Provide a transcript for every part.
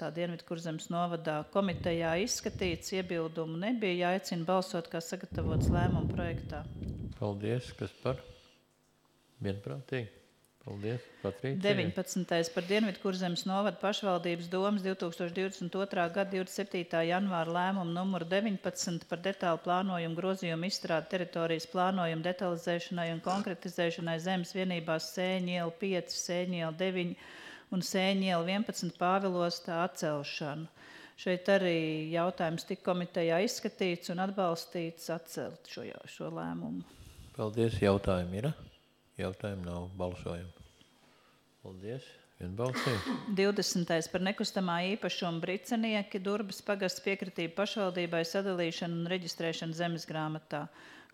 Tā Dienvidkurzemes novadā komitejā izskatīts, iebildumu nebija, jāicina balsot, kā sagatavots lēmuma projektā. Paldies, kas par? Vienprātīgi. Paldies, Patricija. 19. par Dienvidkurzemes novada pašvaldības domas 2022. gada 27. janvāra lēmumu numuru 19 par detālu plānojumu grozījumu izstrādi teritorijas plānojumu detalizēšanai un konkretizēšanai zemes vienībās Sēņu iela 5, Sēņu iela 9 un Sēņu iela 11 Pāvilostā atcelšanu. Šeit arī jautājums tika komitejā izskatīts un atbalstīts atcelt šo lēmumu. Paldies, jautājumi ir? Jautājumu nav, balsojumu. Paldies, vienbalsīgi. 20. par nekustamā īpašuma Bricenieki, Durbas pagasts piekritība pašvaldībai sadalīšanu un reģistrēšanu zemes grāmatā.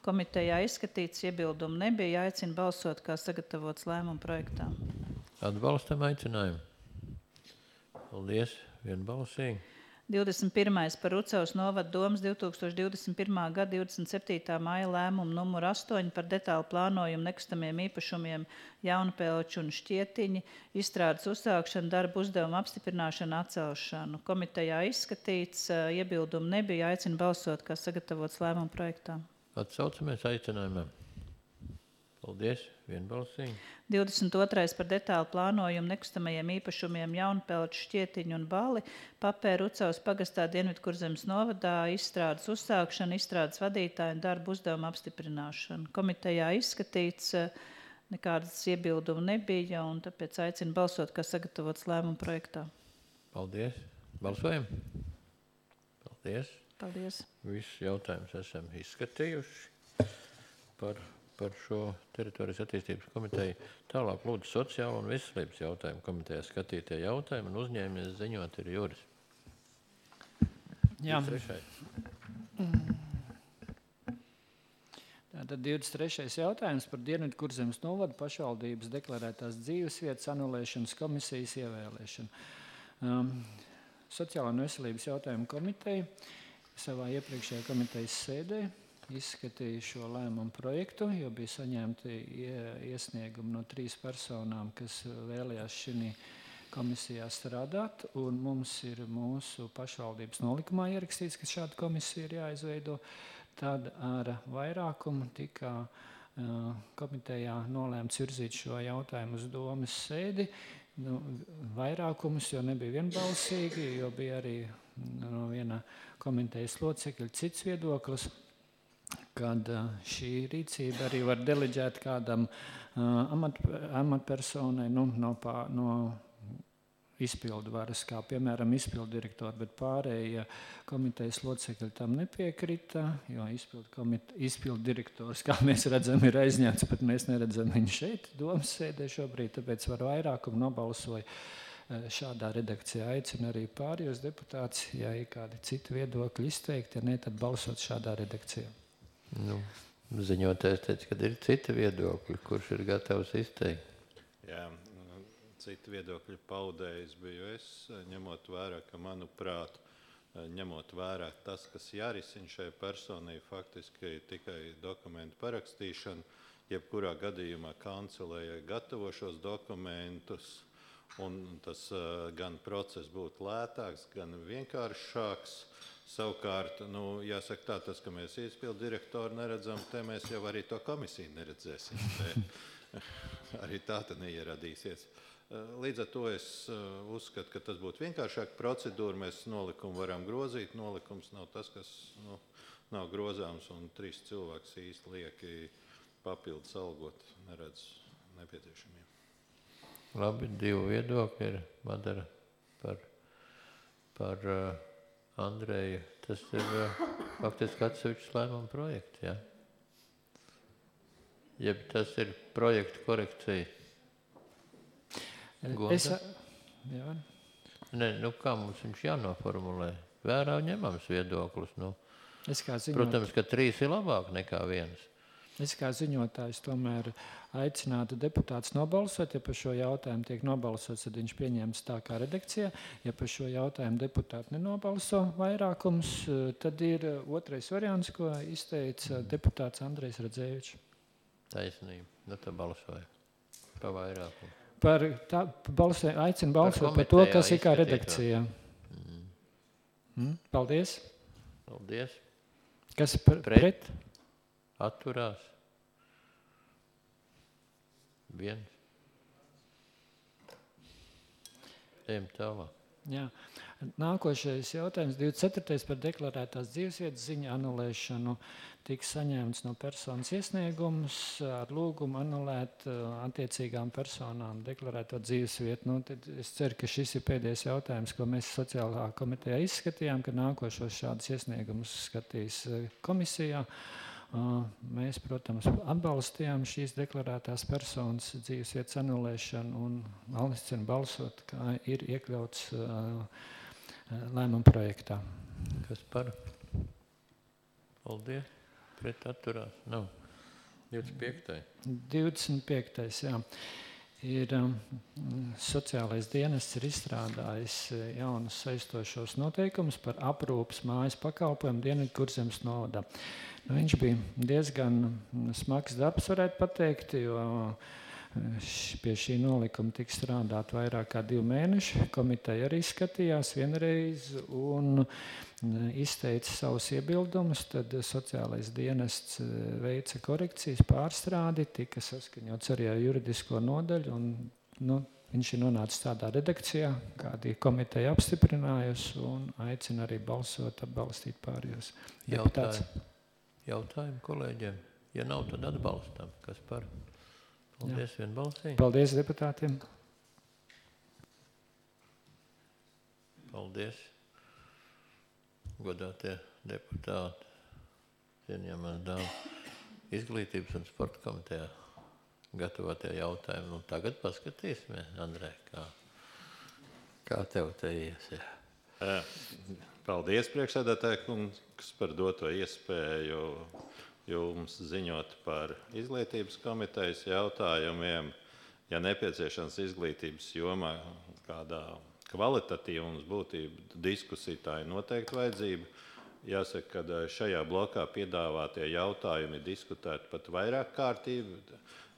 Komitejā izskatīts, iebildumu nebija, jāicina balsot, kā sagatavots lēmuma projektā. Atbalstam aicinājumu. Paldies, vienbalsīgi. 21. par Rucavas novada domas 2021. gada 27. maija lēmumu numuru 8 par detālu plānojumu nekustamiem īpašumiem Jaunpelču un Šķietiņi, izstrādes uzsākšanu, darbu uzdevumu apstiprināšanu, atcelšanu. Komitejā izskatīts, iebildumu nebija, aicina balsot, kā sagatavots lēmuma projektā. Atsaucamies aicinājumam. Paldies, vienbalsīgi. 22. par detālu plānojumu nekustamajiem īpašumiem Jaunpelču, Šķietiņu un Bali, Papēra Rucavas pagastā Dienvidkurzemes novadā, izstrādes uzsākšana, izstrādes vadītāju un darbu uzdevumu apstiprināšanu. Komitejā izskatīts, nekādas iebildumu nebija, un tāpēc aicina balsot, kā sagatavots lēmuma projektā. Paldies. Balsojam. Paldies. Paldies. Visus jautājumus esam izskatījuši par šo teritorijas attīstības komiteju. Tālāk lūdzu sociālo un veselības jautājumu komitejā skatītie jautājumi un uzņēmies ziņot ir Juris. Jā. 23. Tātad 23. jautājums par Dienvidkurzemes novada pašvaldības deklarētās dzīvesvietas anulēšanas komisijas ievēlēšanu. Sociālā un veselības jautājumu komiteja savā iepriekšējā komitejas sēdē izskatīja šo lēmumu projektu, jo bija saņemti iesniegumi no 3 personām, kas vēlējās šī komisijā strādāt, un mums ir mūsu pašvaldības nolikumā ierakstīts, ka šāda komisija ir jāizveido. Tad ar vairākumu tika komitejā nolēmts virzīt šo jautājumu uz domas sēdi. Vairākumus, jo nebija vienbalsīgi, jo bija arī no viena komitejas locekļa cits viedoklis, kad šī rīcība arī var deleģēt kādam amatpersonai no izpildu varas, kā piemēram izpildu direktori, bet pārējie komitejas locekļi tam nepiekrita, jo izpildu direktors, kā mēs redzam, ir aizņemts, bet mēs neredzam viņu šeit, domas sēdē šobrīd, tāpēc var vairākumu nobalsoja šādā redakcijā. Aicina arī pārējos deputātus, ja ir kādi citi viedokļi izteikti, ja ne, tad balsot šādā redakcijā. Ziņotājs teica, ka ir citi viedokļi, kurš ir gatavs izteikt. Jā, citi viedokļi paudējis biju es, ņemot vērā, ka manuprāt, ņemot vērā tas, kas jārisina šai personai, faktiski tikai dokumentu parakstīšanu, jebkurā gadījumā kancelēja gatavo šos dokumentus, un tas gan process būtu lētāks, gan vienkāršāks. Savukārt, jāsaka tā, tas, ka mēs izpildu direktoru neredzam, te mēs jau arī to komisiju neredzēsim. Arī tā tad neieradīsies. Līdz ar to es uzskatu, ka tas būtu vienkāršāk procedūra. Mēs nolikumu varam grozīt. Nolikums nav tas, kas nav grozāms, un 3 cilvēks īsti lieki papildus algot neredz nepieciešamiem. Labi, 2 viedokļi ir Madara par Andreju. Tas ir faktiski atsevišķs lēmuma projekts, jā? Jeb tas ir projekta korekcija? Jā. Ne, kā mums viņš jānoformulē? Vērā ņemams viedoklis. Protams, ka 3 ir labāk nekā 1. Es kā ziņotājs tomēr aicinātu deputātus nobalsot. Ja par šo jautājumu tiek nobalsots, tad viņš pieņems tā kā redakcijā. Ja par šo jautājumu deputāti nenobalso vairākums, tad ir otrais variants, ko izteica deputāts Andrejs Radzēvičs. Taisnība. Tad balsoja pa vairākumu. Aicinu balsot par to, kas ir kā redakcijā. Paldies. Paldies. Kas pret? Atturās. 1. Ejam tālāk. Jā. Nākošais jautājums 24. par deklarētās dzīvesvietas ziņu anulēšanu tiks saņemts no personas iesniegumus ar lūgumu anulēt attiecīgām personām deklarēto dzīvesvietu. Tad es ceru, ka šis ir pēdējais jautājums, ko mēs sociālā komitejā izskatījām, ka nākošos šādus iesniegumus skatīs komisijā. Mēs, protams, atbalstījām šīs deklarētās personas dzīvesvietas anulēšanu un aicinu balsot, kā ir iekļauts lēmuma projektā. Kas par? Paldies. Pret atturās. Nav. 25. 25. jā. Ir sociālais dienests ir izstrādājis jaunus saistošos noteikumus par aprūpas mājas pakalpojumu Dienvidkurzemes novadā. Viņš bija diezgan smags darbs, varētu pateikt, jo pie šī nolikuma tika strādāt vairāk kā 2 mēneši. Komiteja arī skatījās vienreiz un izteica savus iebildumus. Tad sociālais dienests veica korekcijas, pārstrādi, tika saskaņots arī ar juridisko nodaļu. Un, viņš ir nonācis tādā redakcijā, kādi komiteja apstiprinājusi un aicina arī balsot, atbalstīt pārējos deputātus. Jautājumu kolēģiem? Ja nav, tad atbalstam. Kas par? Paldies, vienbalsīgi. Paldies deputātiem. Paldies, godātie deputāti, cienījamās dāmas. Izglītības un sporta komitejā gatavotie jautājumi. Tagad paskatīsimies, Andrej, kā tev te ies. Paldies, priekšsēdētāji kungs, par doto iespēju jums ziņot par izglītības komitejas jautājumiem. Ja nepieciešams izglītības jomā kādā kvalitatīva un būtība diskusija, tā ir noteikti vajadzība. Jāsaka, ka šajā blokā piedāvātie jautājumi ir diskutēti pat vairāk kārtību.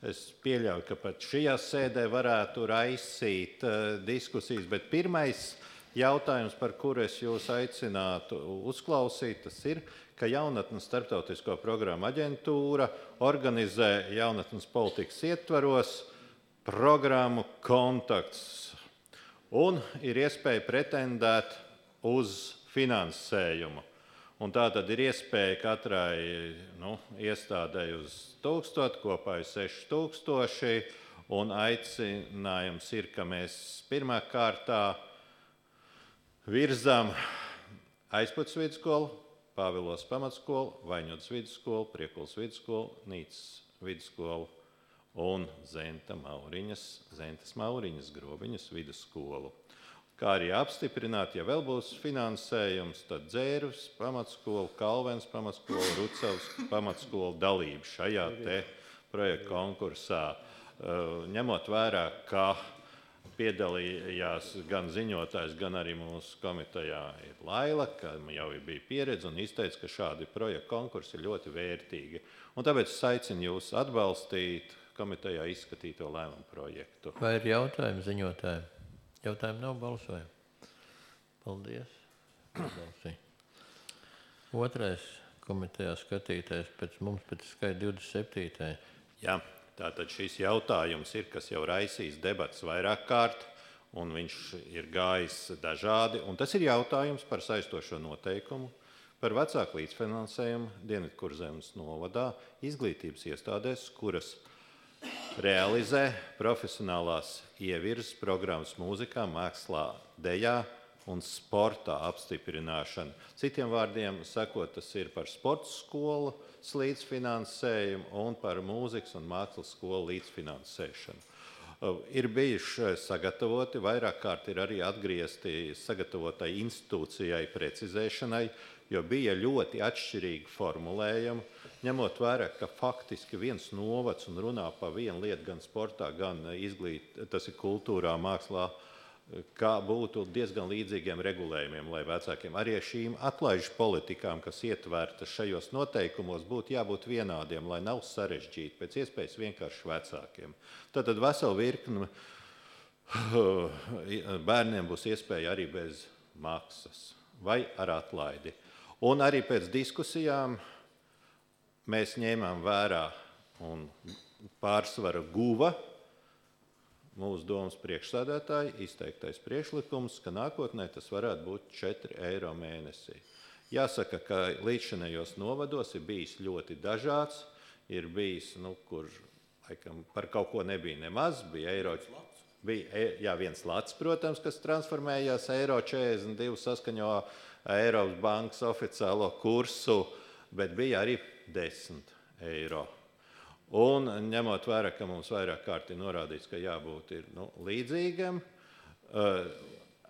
Es pieļauju, ka pat šajā sēdē varētu raisīt diskusijas, bet pirmais jautājums, par kuru es jūs aicinātu uzklausīt, tas ir, ka Jaunatnes starptautisko programmu aģentūra organizē jaunatnes politikas ietvaros programmu Kontakts un ir iespēja pretendēt uz finansējumu. Un tā tad ir iespēja katrai iestādēji uz 1000, kopā ir 6000, un aicinājums ir, ka mēs pirmā kārtā virzām Aizpuces vidusskolu, Pāvilos pamatskolu, Vaņodas vidusskolu, Priekulas vidusskolu, Nīcas vidusskolu un Zentas Mauriņas Grobiņas vidusskolu. Kā arī apstiprināt, ja vēl būs finansējums, tad Dzērves pamatskola, Kalvens pamatskola, Rucavas pamatskola dalība šajā te projekta konkursā. Ņemot vērā, ka piedalījās gan ziņotājs, gan arī mūsu komitejā ir Laila, kam jau bija pieredze un izteica, ka šādi projekta konkursi ir ļoti vērtīgi. Un tāpēc es aicinu jūs atbalstīt komitejā izskatīto lēmumu projektu. Vai ir jautājumi ziņotājiem? Jautājumi nav, balsojumi. Paldies. Otrais komitejā skatītais pēc skaita 27. Jā. Tātad šis jautājums ir, kas jau raisīs debats vairāk kārt, un viņš ir gājis dažādi. Un tas ir jautājums par saistošo noteikumu, par vecāku līdzfinansējumu Dienvidkurzemes novadā izglītības iestādēs, kuras realizē profesionālās ievirzes programmas mūzikā, mākslā, dejā un sportā apstiprināšanu. Citiem vārdiem sakot, tas ir par sporta skolu līdzfinansējumu un par mūzikas un mākslas skolu līdzfinansēšanu. Ir bijuši sagatavoti, vairāk kārt ir arī atgriezti sagatavotai institūcijai precizēšanai, jo bija ļoti atšķirīgi formulējumi, ņemot vērā, ka faktiski viens novads un runā par vienu lietu gan sportā, gan tas ir kultūrā, mākslā, kā būtu diezgan līdzīgiem regulējumiem, lai vecākiem arī šīm atlaižu politikām, kas ietverta šajos noteikumos, būtu jābūt vienādiem, lai nav sarežģīti, pēc iespējas vienkārši vecākiem. Tātad vesela virkne bērniem būs iespēja arī bez maksas vai ar atlaidi. Un arī pēc diskusijām mēs ņēmām vērā un pārsvaru guva mūsu domas priekšsēdētāji izteiktais priekšlikums, ka nākotnē tas varētu būt 4 eiro mēnesī. Jāsaka, ka līdzšanējos novados ir bijis ļoti dažāds, ir bijis, kur laikam, par kaut ko nebija nemaz, bija eiro. Bija viens lats, protams, kas transformējās eiro 42 saskaņo Eiropas bankas oficiālo kursu, bet bija arī 10 eiro. Un ņemot vērā, ka mums vairāk kārt ir norādīts, ka jābūt ir, līdzīgam,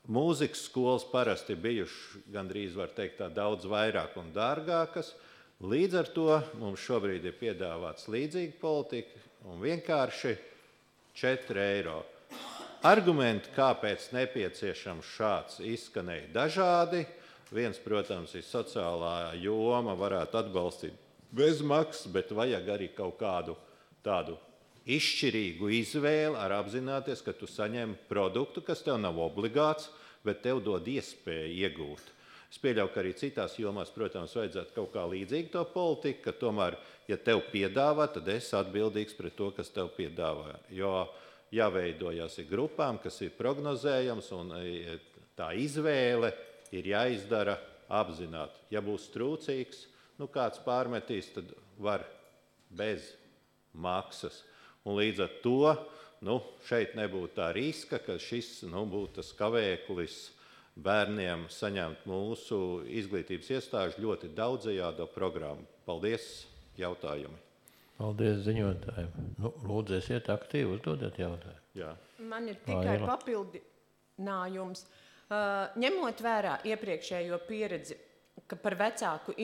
mūzikas skolas parasti bijuši gandrīz, var teikt, tā daudz vairāk un dārgākas. Līdz ar to mums šobrīd ir piedāvāts līdzīga politika un vienkārši 4 eiro. Argumenti, kāpēc nepieciešams šāds, izskanēja dažādi. Viens, protams, ir sociālā joma, varētu atbalstīt bez maksas, bet vajag arī kaut kādu tādu izšķirīgu izvēli ar apzināties, ka tu saņem produktu, kas tev nav obligāts, bet tev dod iespēju iegūt. Es pieļauju, ka arī citās jomās, protams, vajadzētu kaut kā līdzīgi to politiku, ka tomēr, ja tev piedāvā, tad esi atbildīgs pret to, kas tev piedāvā. Jo jāveidojas ir grupām, kas ir prognozējams, un tā izvēle ir jāizdara apzināti. Ja būs trūcīgs, kāds pārmetīs, tad var bez maksas. Un līdz ar to šeit nebūtu tā riska, ka šis būtu tas kavēklis bērniem saņemt mūsu izglītības iestāžu ļoti daudzajādo programmu. Paldies, jautājumi. Paldies ziņotājiem. Lūdzu, esiet aktīvi, uzdodiet jautājumu. Jā. Man ir tikai papildinājums. Ņemot vērā iepriekšējo pieredzi, ka par vecāku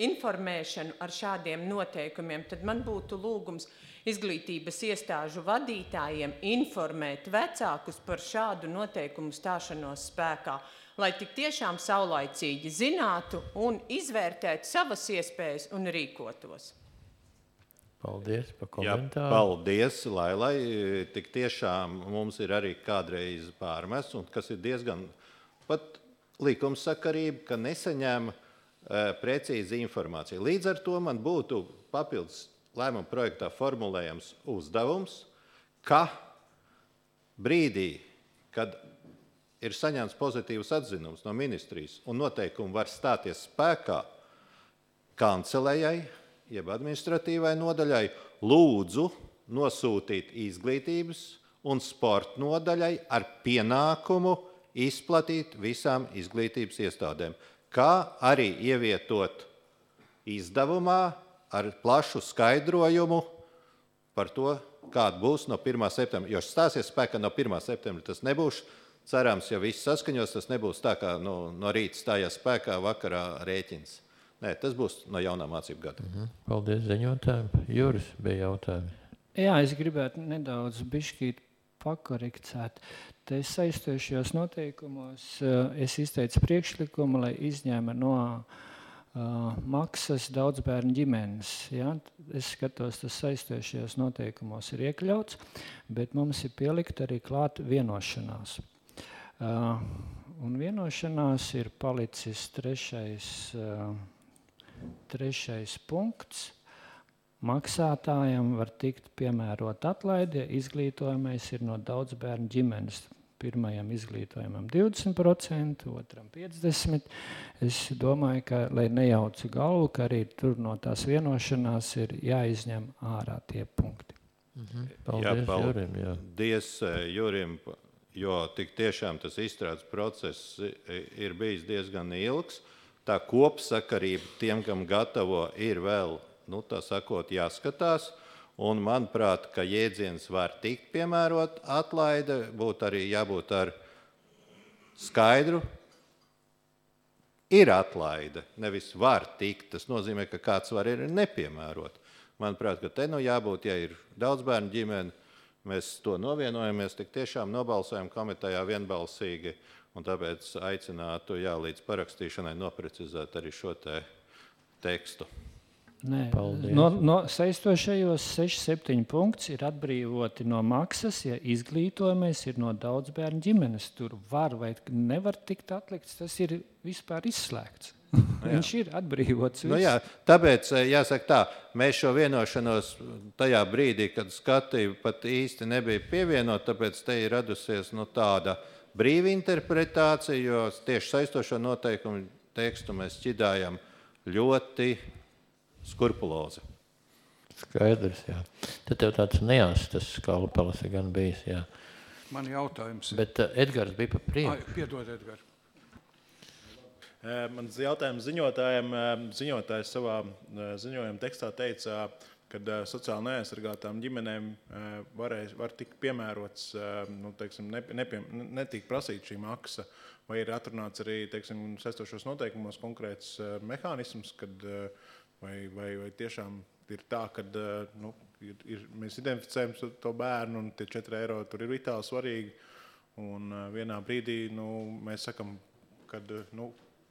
informēšanu ar šādiem noteikumiem, tad man būtu lūgums izglītības iestāžu vadītājiem informēt vecākus par šādu noteikumu stāšanos spēkā, lai tik tiešām saulaicīgi zinātu un izvērtētu savas iespējas un rīkotos. Paldies par komentāru. Paldies, Lailai. Tik tiešām mums ir arī kādreiz pārmests, un kas ir diezgan pat likumsakarība, ka nesaņem precīzi informāciju. Līdz ar to man būtu papildus lēmuma projektā formulējams uzdevums, ka brīdī, kad ir saņemts pozitīvs atzinums no ministrijas un noteikumi var stāties spēkā, kancelējai, jeb administratīvai nodaļai, lūdzu nosūtīt izglītības un sporta nodaļai ar pienākumu izplatīt visām izglītības iestādēm, kā arī ievietot izdevumā ar plašu skaidrojumu par to, kāda būs no 1. septembra. Jo stāsies spēkā no 1. septembra, tas nebūs, cerams, ja viss saskaņos, tas nebūs tā, kā no rīta stājās spēkā, vakarā rēķins. Nē, tas būs no jaunā mācību gada. Paldies ziņotājiem. Juris, bija jautājumi. Jā, es gribētu nedaudz bišķīt pakorekcēt. Te saistošajos noteikumos es izteicu priekšlikumu, lai izņēma no maksas daudzbērnu ģimenes. Ja? Es skatos, tas saistošajos noteikumos ir iekļauts, bet mums ir pielikt arī klāt vienošanās. Un vienošanās ir palicis trešais punkts. Maksātājiem var tikt piemērot atlaidi, ja izglītojamais ir no daudzbērnu ģimenes. Pirmajam izglītojumam 20%, otram 50%. Es domāju, ka, lai nejaucu galvu, ka arī tur no tās vienošanās ir jāizņem ārā tie punkti. Paldies, Jurim. Paldies Jurim, jo tik tiešām tas izstrādes process ir bijis diezgan ilgs. Tā kopsakarība tiem, kam gatavo, ir vēl tā sakot, jāskatās, un manuprāt, ka jēdziens var tikt piemērot atlaide, būtu arī jābūt ar skaidru. Ir atlaide, nevis var tikt, tas nozīmē, ka kāds var ir nepiemērot. Manuprāt, ka te jābūt, ja ir daudzbērnu ģimene, mēs to novienojamies, tik tiešām nobalsojam komitejā vienbalsīgi, un tāpēc aicinātu līdz parakstīšanai noprecizēt arī šo tekstu. Nē, Paldies. saistošajos 6-7 punkts ir atbrīvoti no maksas, ja izglītojamies ir no daudz bērnu ģimenes. Tur var vai nevar tikt atlikts, tas ir vispār izslēgts. Viņš ir atbrīvots. Nu jā, tāpēc jāsaka tā, mēs šo vienošanos tajā brīdī, kad skatīju, pat īsti nebija pievienot, tāpēc te ir radusies tāda brīva interpretācija, jo tieši saistošo noteikumu tekstu mēs šķidājam ļoti skrupulozi. Skaidrs, jā. Tad tev tāds neās, tas skalpelis ir gan bijis, jā. Man jautājums ir. Bet Edgars bija pa priekšu. Piedod, Edgar. Mans jautājums ziņotājiem. Ziņotājs savā ziņojuma tekstā teica, ka sociāli neaizsargātām ģimenēm var tikt piemērots, netiek prasīt šī maksa, vai ir atrunāts arī, saistošos noteikumos konkrēts mehānisms, kad vai tiešām ir tā, ka mēs identificējam to bērnu un tie 4 eiro tur ir vitāli svarīgi, un vienā brīdī mēs sakam, ka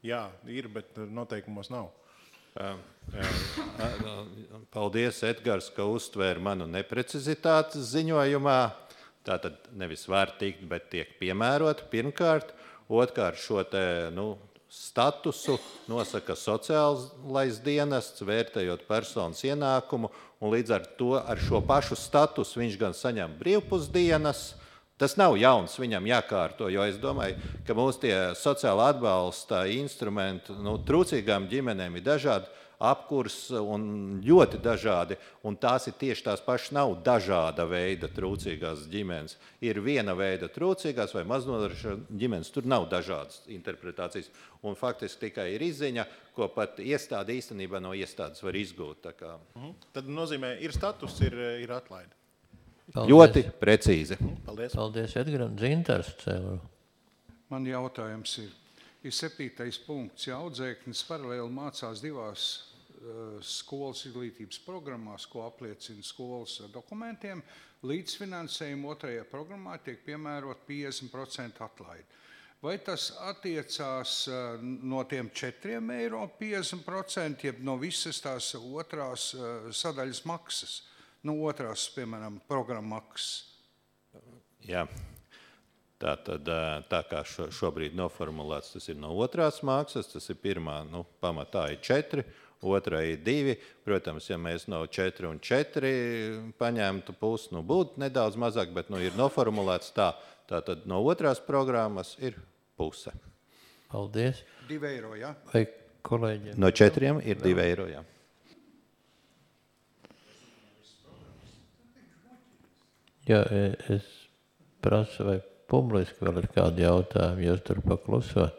jā, ir, bet noteikumos nav. Paldies, Edgars, ka uztvēri manu neprecizitāti ziņojumā. Tātad nevis var tikt, bet tiek piemērot pirmkārt. Otkārt šo te, statusu nosaka sociālais dienests, vērtējot personas ienākumu, un līdz ar to ar šo pašu statusu viņš gan saņem brīvpusdienas. Tas nav jauns, viņam jākārto, jo es domāju, ka mūsu tie sociāla atbalsta instrumenti trūcīgām ģimenēm ir dažādi, apkurs un ļoti dažādi, un tās ir tieši tās pašas, nav dažāda veida trūcīgās ģimenes. Ir viena veida trūcīgās vai maznodrošinātās ģimenes, tur nav dažādas interpretācijas, un faktiski tikai ir izziņa, ko pat iestāde īstenībā no iestādes var izgūt. Tā kā. Tad nozīmē, ir status, ir atlaide. Paldies. Ļoti precīzi. Paldies. Paldies, Edgaram. Dzintars cēlu. Man jautājums ir 7. punkts. Ja audzēknis paralēli mācās 2 skolas izglītības programmās, ko apliecina skolas dokumentiem, līdzfinansējumu 2. programmā tiek piemērot 50% atlaidi. Vai tas attiecās no tiem 4 eiro 50%, jeb no visas tās otrās sadaļas maksas? No otrās, piemēram, programmaksas. Jā. Tā kā šobrīd noformulēts, tas ir no otrās maksas, tas ir pirmā, pamatā ir 4, otrā ir 2. Protams, ja mēs no 4 un 4 paņemtu pusi, būtu nedaudz mazāk, bet ir noformulēts tā. Tātad no otrās programmas ir puse. Paldies. 2 eiro, jā? Vai kolēģiem? No 4 ir 2 eiro, jā. Jā, es prasu, vai publiski vēl ir kādi jautājumi, jūs tur pakluso.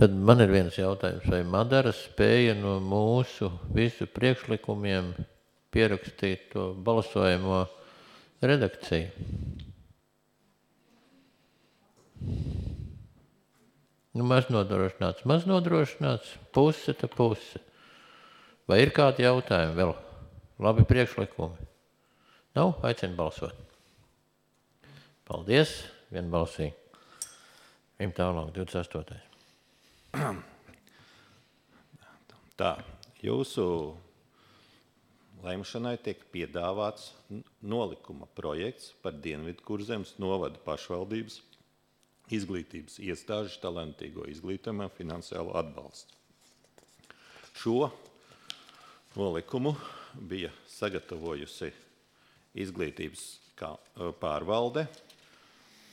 Tad man ir viens jautājums, vai Madara spēja no mūsu visu priekšlikumiem pierakstīt to balsojamo redakciju? Maznodrošināts, puse ta puse. Vai ir kādi jautājumi vēl? Labi priekšlikumi. Nav? Aicinu balsot. Paldies, vienbalsīgi. Ejam tālāk, 28. Tā, jūsu lemšanai tiek piedāvāts nolikuma projekts par Dienvidkurzemes novada pašvaldības izglītības iestāžu talantīgo izglītojumā finansiālo atbalstu. Šo nolikumu bija sagatavojusi izglītības pārvalde,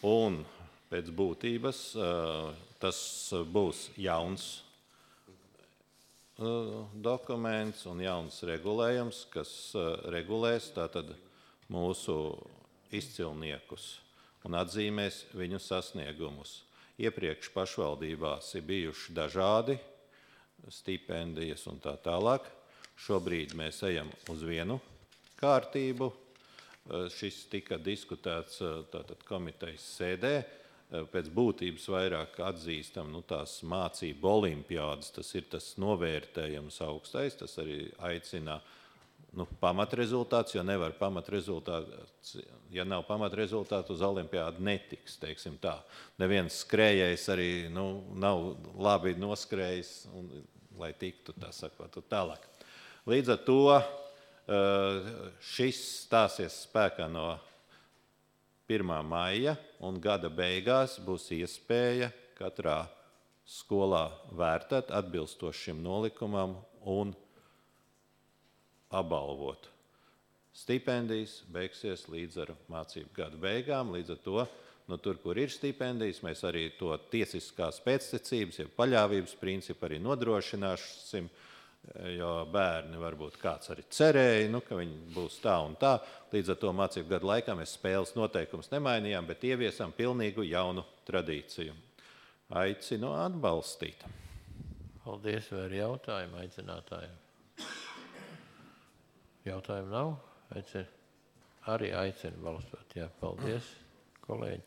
un pēc būtības tas būs jauns dokuments un jauns regulējums, kas regulēs tātad mūsu izcilniekus un atzīmēs viņu sasniegumus. Iepriekš pašvaldībās ir bijuši dažādi stipendijas un tā tālāk. Šobrīd mēs ejam uz vienu kārtību. Šis tika diskutēts tātad komitejas sēdē. Pēc būtības vairāk atzīstam tās mācību olimpiādas, tas ir tas novērtējums augstais, tas arī aicina pamatrezultāts, jo nevar pamatrezultāts, ja nav pamatrezultātu, uz olimpiādu netiks, teiksim tā. Neviens skrējējs arī nav labi noskrējis, lai tiktu tā sakot tālāk. Līdz ar to šis stāsies spēkā no 1. maija, un gada beigās būs iespēja katrā skolā vērtēt atbilstoši šim nolikumam un apbalvot. Stipendijas beigsies līdz ar mācību gada beigām, līdz ar to, tur, kur ir stipendijas, mēs arī to tiesiskās pēctecības, ja paļāvības principu arī nodrošināsim, jo bērni varbūt kāds arī cerēja, ka viņi būs tā un tā. Līdz ar to mācību gadu laikā mēs spēles noteikumus nemainījām, bet ieviesam pilnīgu jaunu tradīciju. Aicinu atbalstīt. Paldies, vai ir jautājumi aicinātājiem? Jautājumu nav? Arī aicinu balsot. Jā, paldies, kolēģi.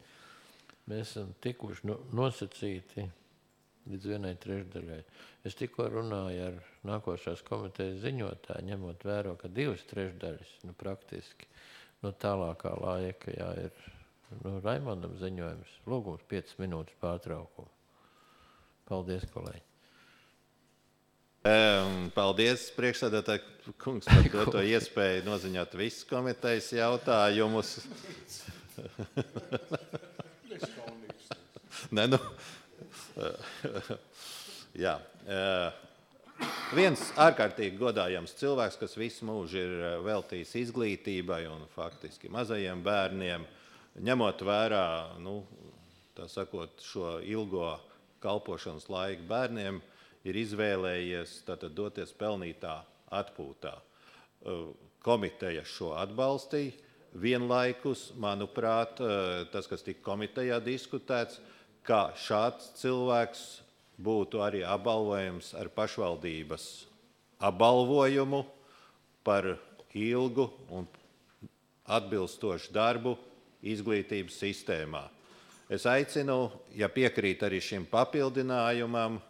Mēs esam tikuši nosacīti līdz 1/3. Es tikko runāju ar nākošās komitejas ziņotāju, ņemot vēro, ka 2/3 praktiski tālākā laika ir Raimondam ziņojums. Lūgums 5 minūtes pārtraukumu. Paldies, kolēģi. Paldies, priekšsēdētāji kungs, par doto iespēju noziņot visus komitejas jautājumus. Jā. Viens ārkārtīgi godājams cilvēks, kas visu mūžu ir veltījis izglītībai un faktiski mazajiem bērniem, ņemot vērā, tā sakot, šo ilgo kalpošanas laiku bērniem, ir izvēlējies doties pelnītā atpūtā. Komiteja šo atbalstīja. Vienlaikus, manuprāt, tas, kas tika komitejā diskutēts, ka šāds cilvēks būtu arī apbalvojams ar pašvaldības apbalvojumu par ilgu un atbilstošu darbu izglītības sistēmā. Es aicinu, ja piekrīt arī šim papildinājumam,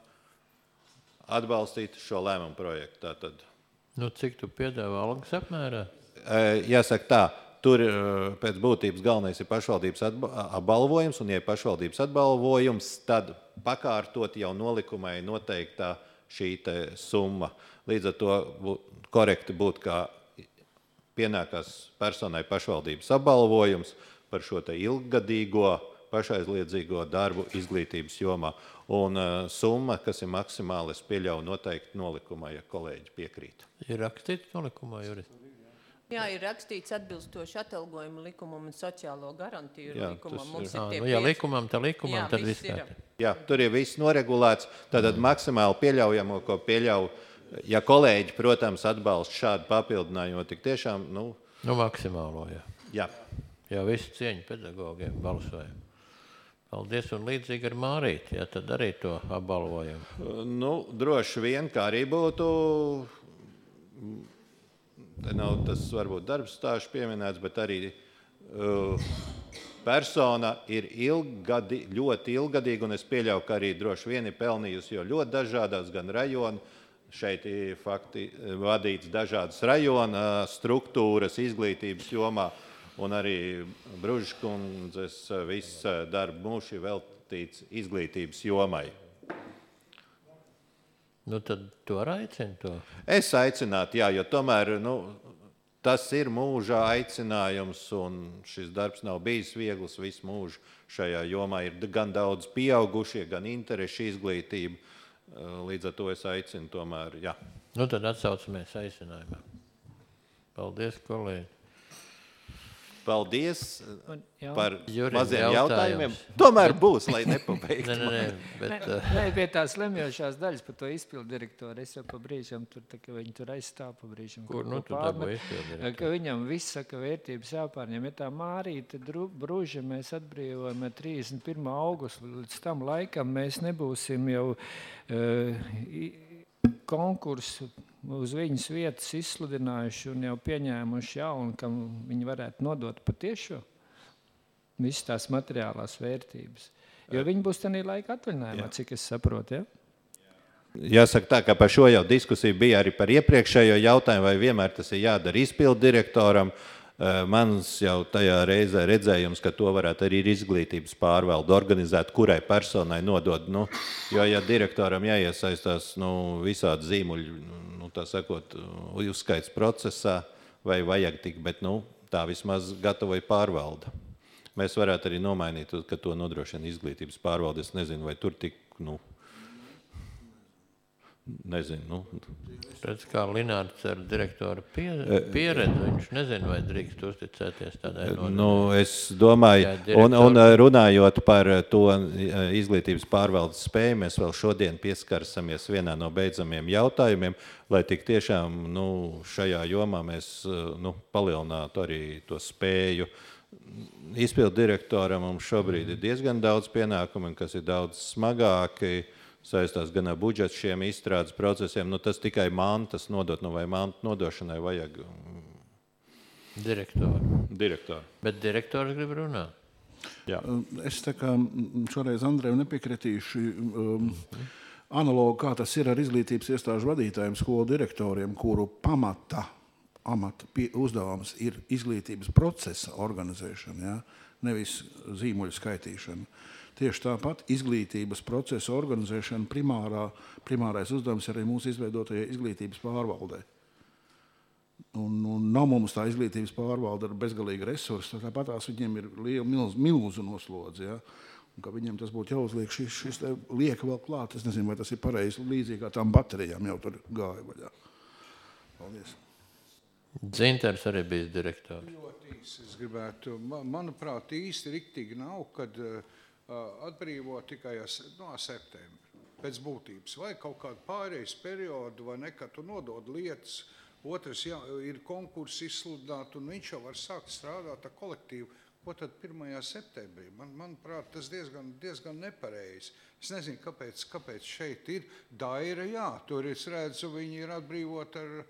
atbalstīt šo lēmumu projektu. Tātad. Cik tu piedāvā algas apmērā? Jāsaka tā, tur pēc būtības galvenais ir pašvaldības apbalvojums, un ja ir pašvaldības apbalvojums, tad pakārtot jau nolikumai noteiktā šī summa. Līdz ar to korekti būtu, kā pienākās personai pašvaldības apbalvojums par šo ilggadīgo pašaizliedzīgo darbu izglītības jomā. Un summa, kas ir maksimāli, es pieļauju noteikti nolikumā, ja kolēģi piekrīt. Ir rakstīts nolikumā, Juris? Jā, ir rakstīts atbilstoši atalgojumu likumam un sociālo garantiju likumam. Mums ir ja likumam, tad viss ir. Jā, tur ir viss noregulēts. Tātad maksimāli pieļaujamo, ko pieļauj, ja kolēģi, protams, atbalsta šādu papildinājumu, tik tiešām, maksimālo, jā. Jā. Jā, visu cieņu pedagogiem balsojam. Paldies, un līdzīgi ar Mārīti, ja tad arī to apbalvojam. Droši vien, kā arī būtu, te nav tas varbūt darbs stāžu pieminēts, bet arī persona ir ļoti ilgadīga, un es pieļauju, ka arī droši vien ir pelnījusi, jo ļoti dažādās gan rajonu, šeit ir vadīts dažādas rajona struktūras izglītības jomā, un arī Bružkundzes viss darba mūžs ir veltīts izglītības jomai. Tad tu arī aicini to? Es aicinātu, jā, jo tomēr tas ir mūža aicinājums, un šis darbs nav bijis viegls visu mūžu. Šajā jomā ir gan daudz pieaugušie, gan interešu izglītība. Līdz ar to es aicinu tomēr, jā. Tad atsaucamies aicinājumā. Paldies, kolēģi. Paldies par Jurim, maziem jautājumiem. Tomēr būs, lai nepabeigtu. Nē, pie tās lemjošās daļas par to izpildu direktoru. Es jau pa brīžam, viņi tur aizstāv pa brīžam. Kur tu dabūji izpildu direktoru? Ka viņam viss saka vērtības jāpārņem. Ja tā Mārīte Bruža mēs atbrīvojam 31. augustu, līdz tam laikam mēs nebūsim jau konkursu uz viņas vietas izsludinājuši un jau pieņēmuši jaunu, kam viņi varētu nodot patiešo visas tās materiālās vērtības. Jo viņi būs tādā laika atvaļinājumā, cik es saprotu, ja? Jāsaka tā, ka par šo jau diskusija bija arī par iepriekšējo jautājumu, vai vienmēr tas ir jādara izpildu direktoram. Mans jau tajā reizē redzējums, ka to varētu arī izglītības pārvalde organizēt, kurai personai nodod. Jo, ja direktoram jāiesaistās visādi zīmuļi, tā sakot, uzskaits procesā, vai vajag tik, bet, tā vismaz gatavoja pārvalda. Mēs varētu arī nomainīt, ka to nodrošina izglītības pārvalde. Es nezinu, vai tur tik, nezinu. Redz, kā Linārds ar direktoru pieredzi, viņš nezina, vai drīkst uzticēties tādai nodarbībai. Es domāju, un runājot par to izglītības pārvaldes spēju, mēs vēl šodien pieskarsamies vienā no beidzamiem jautājumiem, lai tik tiešām šajā jomā mēs palielinātu arī to spēju. Izpildu direktoram mums šobrīd ir diezgan daudz pienākumu, kas ir daudz smagāki, saistās gan ar budžetu šiem izstrādes procesiem, tas tikai mantas nodot, vai mantu nodošanai vajag direktoru. Bet direktors grib runāt. Jā. Es tā kā šoreiz Andreju nepiekritīšu analogu, kā tas ir ar izglītības iestāžu vadītājiem, skolu direktoriem, kuru amata uzdevums ir izglītības procesa organizēšana, nevis zīmuļu skaitīšana. Tieši tāpat izglītības procesa organizēšana primārais uzdevums arī mūsu izveidotajai izglītības pārvaldē. Un nav mums tā izglītības pārvalde ar bezgalīgu resursu, tāpatās viņiem ir milzu noslodzi, un ka viņiem tas būtu jāuzliek šis lieka vēl klāt. Es nezinu, vai tas ir pareizi, līdzīgi kā tām baterijām jau tur gāja vaļā. Paldies. Dzinters arī bijis direktors. Ļoti īsti es gribētu, manuprāt, īsti riktīgi nav, kad atbrīvo tikai no septembra pēc būtības. Vai kaut kādu pārējais periodu, vai ne, kad tu nodod lietas, otrs ir konkurss izsludināt, un viņš jau var sākt strādāt ar kolektīvu. Ko tad 1. septembrī? Manuprāt, tas diezgan nepareizi. Es nezinu, kāpēc šeit ir Daira, tur es redzu, viņi ir atbrīvot ar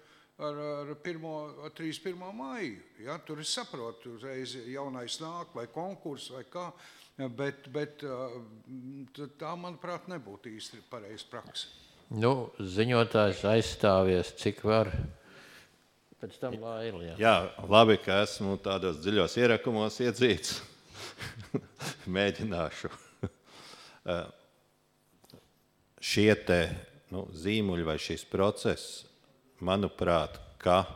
31. maiju. Tur es saprotu, uzreiz jaunais nāk, vai konkurss, vai kā, bet tā, manuprāt, nebūtu īsti pareizi praksa. Ziņotājs aizstāvies, cik var. Pēc tam Laila, Jā, labi, ka esmu tādos dziļos ierakumos iedzīts. Mēģināšu. Šie te zīmuļi vai šis process, manuprāt, ka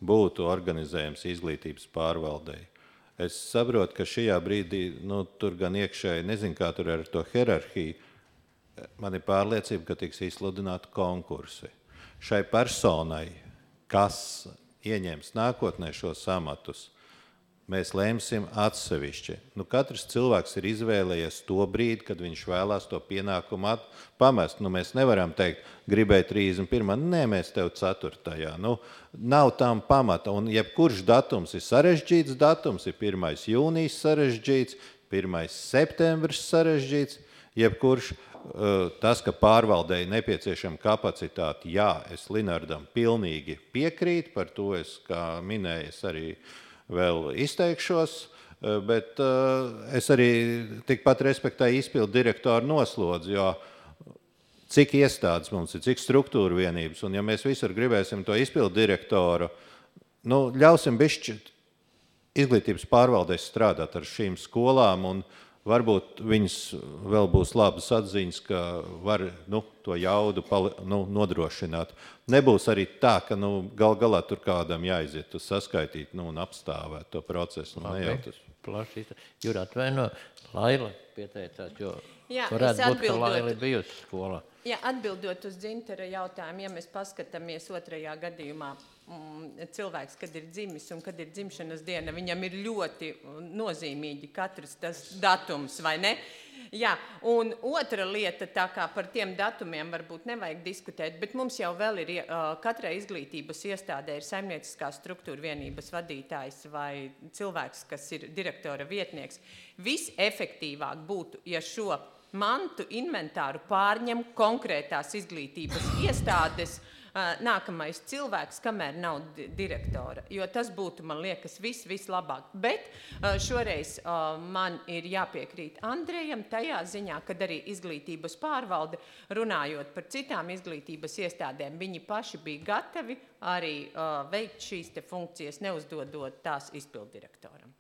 būtu organizējams izglītības pārvaldei. Es saprotu, ka šajā brīdī, tur gan iekšēji, nezinu, kā tur ar to hierarhiju, man ir pārliecība, ka tiks izsludināti konkursi. Šai personai, kas ieņems nākotnē šos amatus, mēs lēmsim atsevišķi. Katrs cilvēks ir izvēlējies to brīdi, kad viņš vēlās to pienākumu pamest. Mēs nevaram teikt, gribēja 31. Nē, mēs tev 4. Nav tam pamata. Un jebkurš datums ir sarežģīts datums, ir 1. jūnijas sarežģīts, 1. septembris sarežģīts. Jebkurš tas, ka pārvaldēji nepieciešama kapacitāte, es Linardam pilnīgi piekrītu, par to es, kā minēju, arī vēl izteikšos, bet es arī tikpat respektēju izpildu direktoru noslodzi, jo cik iestādes mums ir, cik struktūra vienības, un ja mēs visur gribēsim to izpildu direktoru, ļausim bišķi izglītības pārvaldēs strādāt ar šīm skolām, un varbūt viņas vēl būs labas atziņas, ka var to jaudu nodrošināt. Nebūs arī tā, ka galā tur kādam jāiziet uz saskaitīt un apstāvēt to procesu. Jura, atvaino, Laila pieteicās, jo varētu būt, ka Laila bijusi skolā. Jā, atbildot uz Dzintera jautājumu, ja mēs paskatāmies 2. gadījumā, cilvēks, kad ir dzimis un kad ir dzimšanas diena, viņam ir ļoti nozīmīgi katrs tas datums, vai ne? Jā, un otra lieta, tā kā par tiem datumiem varbūt nevajag diskutēt, bet mums jau vēl ir, katrai izglītības iestādē ir saimnieciskā struktūra vienības vadītājs vai cilvēks, kas ir direktora vietnieks. Visefektīvāk būtu, ja šo mantu inventāru pārņem konkrētās izglītības iestādes nākamais cilvēks, kamēr nav direktora, jo tas būtu, man liekas, vislabāk. Bet šoreiz man ir jāpiekrīt Andrejam tajā ziņā, kad arī izglītības pārvalde, runājot par citām izglītības iestādēm, viņi paši bija gatavi arī veikt šīs te funkcijas, neuzdodot tās izpildirektoram.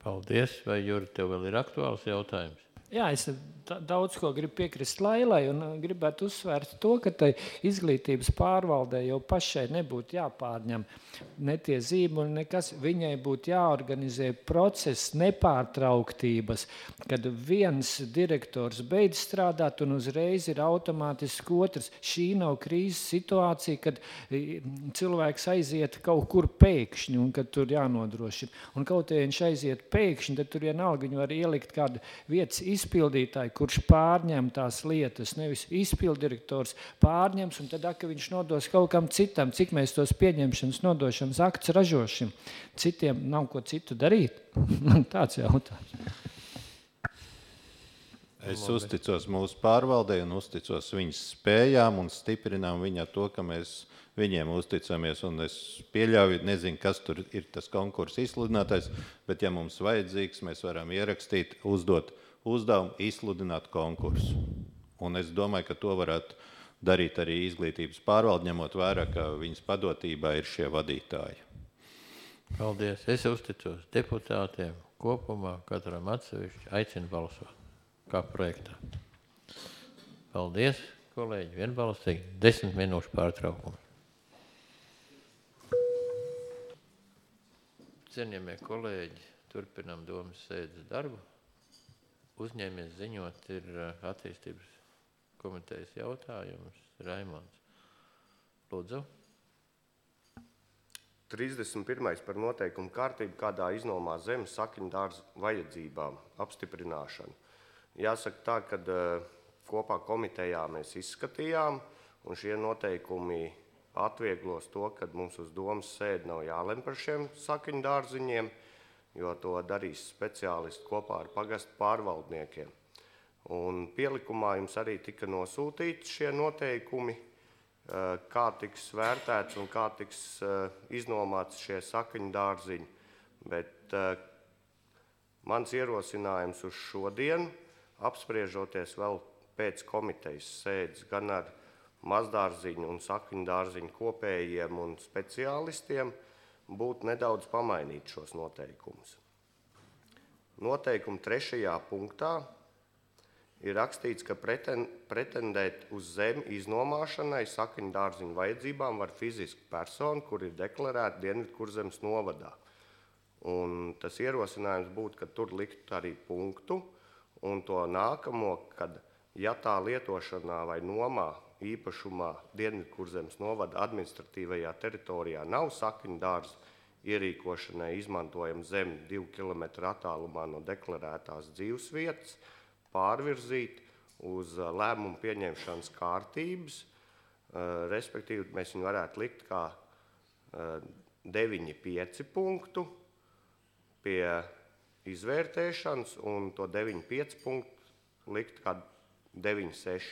Paldies. Vai, Juri, tev vēl ir aktuāls jautājums? Jā, es daudz ko gribu piekrist Lailai un gribētu uzsvērt to, ka tai izglītības pārvaldē jau pašai nebūtu jāpārņem ne tie zīmoli, nekas. Viņai būtu jāorganizē process nepārtrauktības, kad viens direktors beidz strādāt un uzreiz ir automātiski otrs. Šī nav krīzes situācija, kad cilvēks aiziet kaut kur pēkšņi un kad tur jānodrošina. Un kaut ja viņš aiziet pēkšņi, tad tur vienalga viņu var ielikt kādu vietas izpildītāju, kurš pārņem tās lietas, nevis izpildirektors pārņems, un tad, ka viņš nodos kaut kam citam, cik mēs tos pieņemšanas, nodošanas aktus ražošam. Citiem nav ko citu darīt. Tāds jautājums. Es uzticos mūsu pārvaldē un uzticos viņas spējām un stiprinām viņu to, ka mēs viņiem uzticamies, un es pieļauju, nezinu, kas tur ir tas konkurss izsludinātais, bet ja mums vajadzīgs, mēs varam ierakstīt, uzdot uzdevumu, izsludināt konkursu. Un es domāju, ka to varētu darīt arī izglītības pārvalde, ņemot vērā, ka viņas padotībā ir šie vadītāji. Paldies. Es uzticos deputātiem kopumā, katram atsevišķi, aicinu balsot kā projektā. Paldies, kolēģi, vienbalsīgi, 10 minūšu pārtraukumu. Cienījamie kolēģi, turpinām domas sēdes darbu. Uzņēmies ziņot ir attīstības komitejas jautājums. Raimonds. Lūdzu. 31. par noteikumu kārtību, kādā iznomā zemes sakņdārza vajadzībām apstiprināšanu. Jāsaka tā, ka kopā komitejā mēs izskatījām, un šie noteikumi atvieglos to, ka mums uz domas sēdi nav jālem par šiem sakņdārziņiem, jo to darīs speciālisti kopā ar pagastu pārvaldniekiem. Un pielikumā jums arī tika nosūtīti šie noteikumi, kā tiks vērtēts un kā tiks iznomāts šie sakņdārziņi. Bet mans ierosinājums uz šodienu, apspriežoties vēl pēc komitejas sēdes gan ar mazdārziņu un sakņdārziņu kopējiem un speciālistiem, būtu nedaudz pamainīt šos noteikumus. Noteikuma 3. punktā ir rakstīts, ka pretendēt uz zemi iznomāšanai sakņdārziņu vajadzībām var fiziska persona, kur ir deklarēta Dienvidkurzemes novadā. Un tas ierosinājums būtu, ka tur likt arī punktu, un to nākamo, kad ja tā lietošanā vai nomā īpašumā Dienvidkurzemes novada administratīvajā teritorijā nav sakņdārza, ierīkošanai izmantojam zemi 2 km attālumā no deklarētās dzīvesvietas, pārvirzīt uz lēmumu pieņemšanas kārtības, respektīvi mēs viņu varētu likt kā 9.5 punktu pie izvērtēšanas un to 9.5 punktu likt kā 9.6.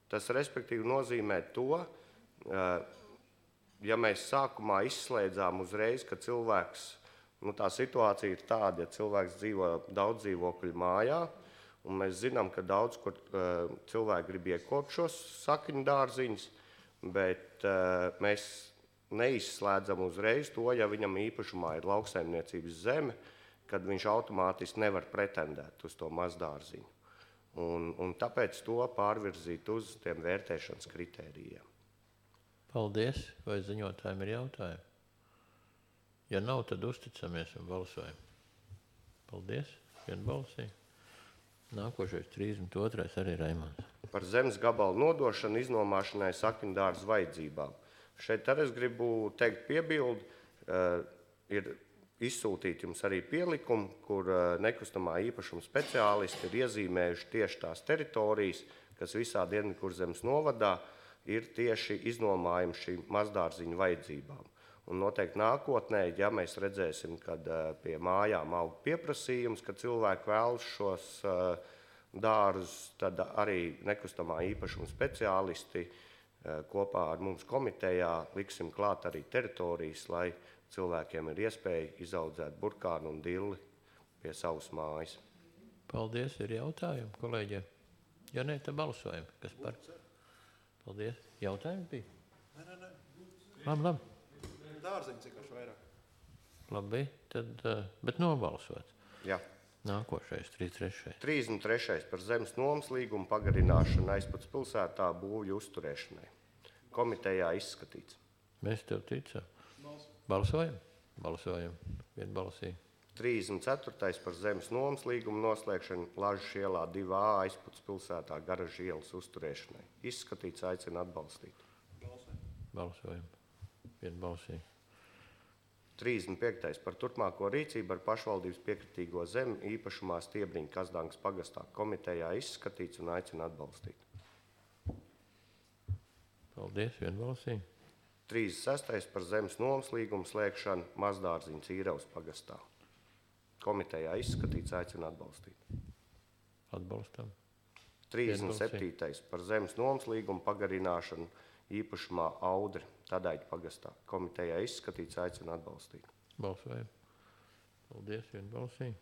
Tas respektīvi nozīmē to, ja mēs sākumā izslēdzām uzreiz, ka cilvēks, tā situācija ir tāda, ja cilvēks dzīvo daudz dzīvokļu mājā, un mēs zinām, ka daudz, kur cilvēki grib iekopt šos sakņdārziņus, bet mēs neizslēdzam uzreiz to, ja viņam īpašumā ir lauksaimniecības zeme, kad viņš automātiski nevar pretendēt uz to mazdārziņu. Un tāpēc to pārvirzīt uz tiem vērtēšanas kritērijiem. Paldies. Vai ziņotājiem ir jautājumi? Ja nav, tad uzticamies un balsojam. Paldies. Vienbalsīgi. Nākošais 32. arī Raimonds. Par zemes gabalu nodošanu iznomāšanai sakņdārza vajadzībām. Šeit arī es gribu teikt piebildi, ir izsūtīt jums arī pielikumu, kur nekustamā īpašuma speciālisti ir iezīmējuši tieši tās teritorijas, kas visā Dienvidkurzemes novadā ir tieši iznomājumi šīm mazdārziņu vajadzībām. Un noteikti nākotnē, ja mēs redzēsim, kad pie mājām aug pieprasījums, ka cilvēki vēlas šos dārzus, tad arī nekustamā īpašuma speciālisti kopā ar mums komitejā liksim klāt arī teritorijas, lai cilvēkiem ir iespēja izaudzēt burkānu un dilli pie savas mājas. Paldies. Ir jautājumi, kolēģiem? Ja ne, tad balsojam. Kas par? Paldies. Jautājumi bija? Nē. Labi. Dārziņi cik vairāk. Labi, tad, bet nobalsot. Jā. Nākošais, 33. 33. par zemes nomas līgumu pagarināšanu Aizpats pilsētā būvju uzturēšanai. Komitejā izskatīts. Mēs tev ticam. Balsojam? Balsojam. Vienbalsīgi. 34. par zemes nomas līgumu noslēgšanu Lažas ielā 2A Aizpats pilsētā Garažas ielas uzturēšanai. Izskatīts, aicina atbalstīt. Balsojam. Vienbalsīgi. 35. par turpmāko rīcību ar pašvaldības piekritīgo zemi īpašumā Stiebriņa Kazdāngas pagastā. Komitejā izskatīts un aicina atbalstīt. Paldies, vienbalsīgi. 36. par zemes nomas līgumu slēgšanu Mazdārziņas Īravas pagastā. Komitejā izskatīts, aicina atbalstīt. Atbalstam. 37. par zemes nomas līgumu pagarināšanu īpašumā Audri Tadaiķa pagastā. Komitejā izskatīts, aicina atbalstīt. Balsojam. Paldies, vienbalsīgi.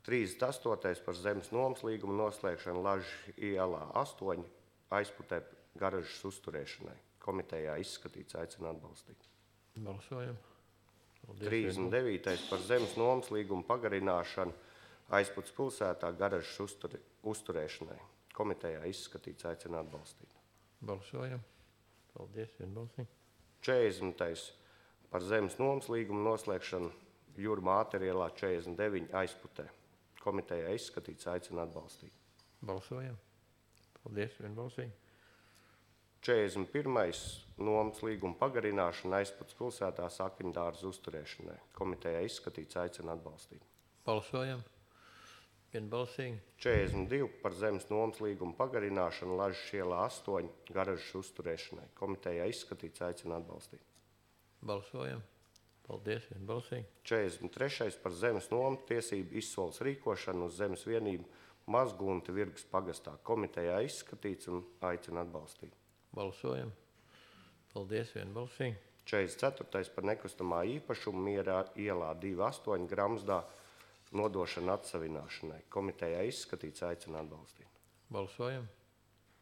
38. par zemes nomas līgumu noslēgšanu Lažas ielā 8 Aizputē Garažas uzturēšanai. Komitejā izskatīts, aicina atbalstīt. Balsojam. Paldies, 39. par zemes nomas līgumu pagarināšanu Aizputs pilsētā Garažas uzturēšanai. Komitejā izskatīts, aicina atbalstīt. Balsojam. Paldies, vienbalsīgi. 40. par zemes nomas līgumu noslēgšanu Jūrmā Āterielā 49 Aizputē. Komitejā izskatīts, aicina atbalstīt. Balsojam. Paldies, vienbalsīgi. 41. nomas līguma pagarināšana Aizputs pilsētā Sakņdārza uzturēšanai. Komitejā izskatīts, aicina atbalstīt. Balsojam. Vienbalsīgi. 42. par zemes nomas līguma pagarināšanu Lažas ielā 8 Garažas uzturēšanai. Komitejā izskatīts, aicina atbalstīt. Balsojam. Paldies, vienbalsīgi. 43. par zemes nomas tiesību izsoles rīkošanu uz zemes vienību Mazgunta Virgas pagastā. Komitejā izskatīts un aicina atbalstīt. Balsojam. Paldies, vienbalsīgi. 44. par nekustamā īpašumu Mierā ielā 2,8 Gramzdā nodošana atsavināšanai. Komitejā izskatīts, aicina atbalstīt. Balsojam.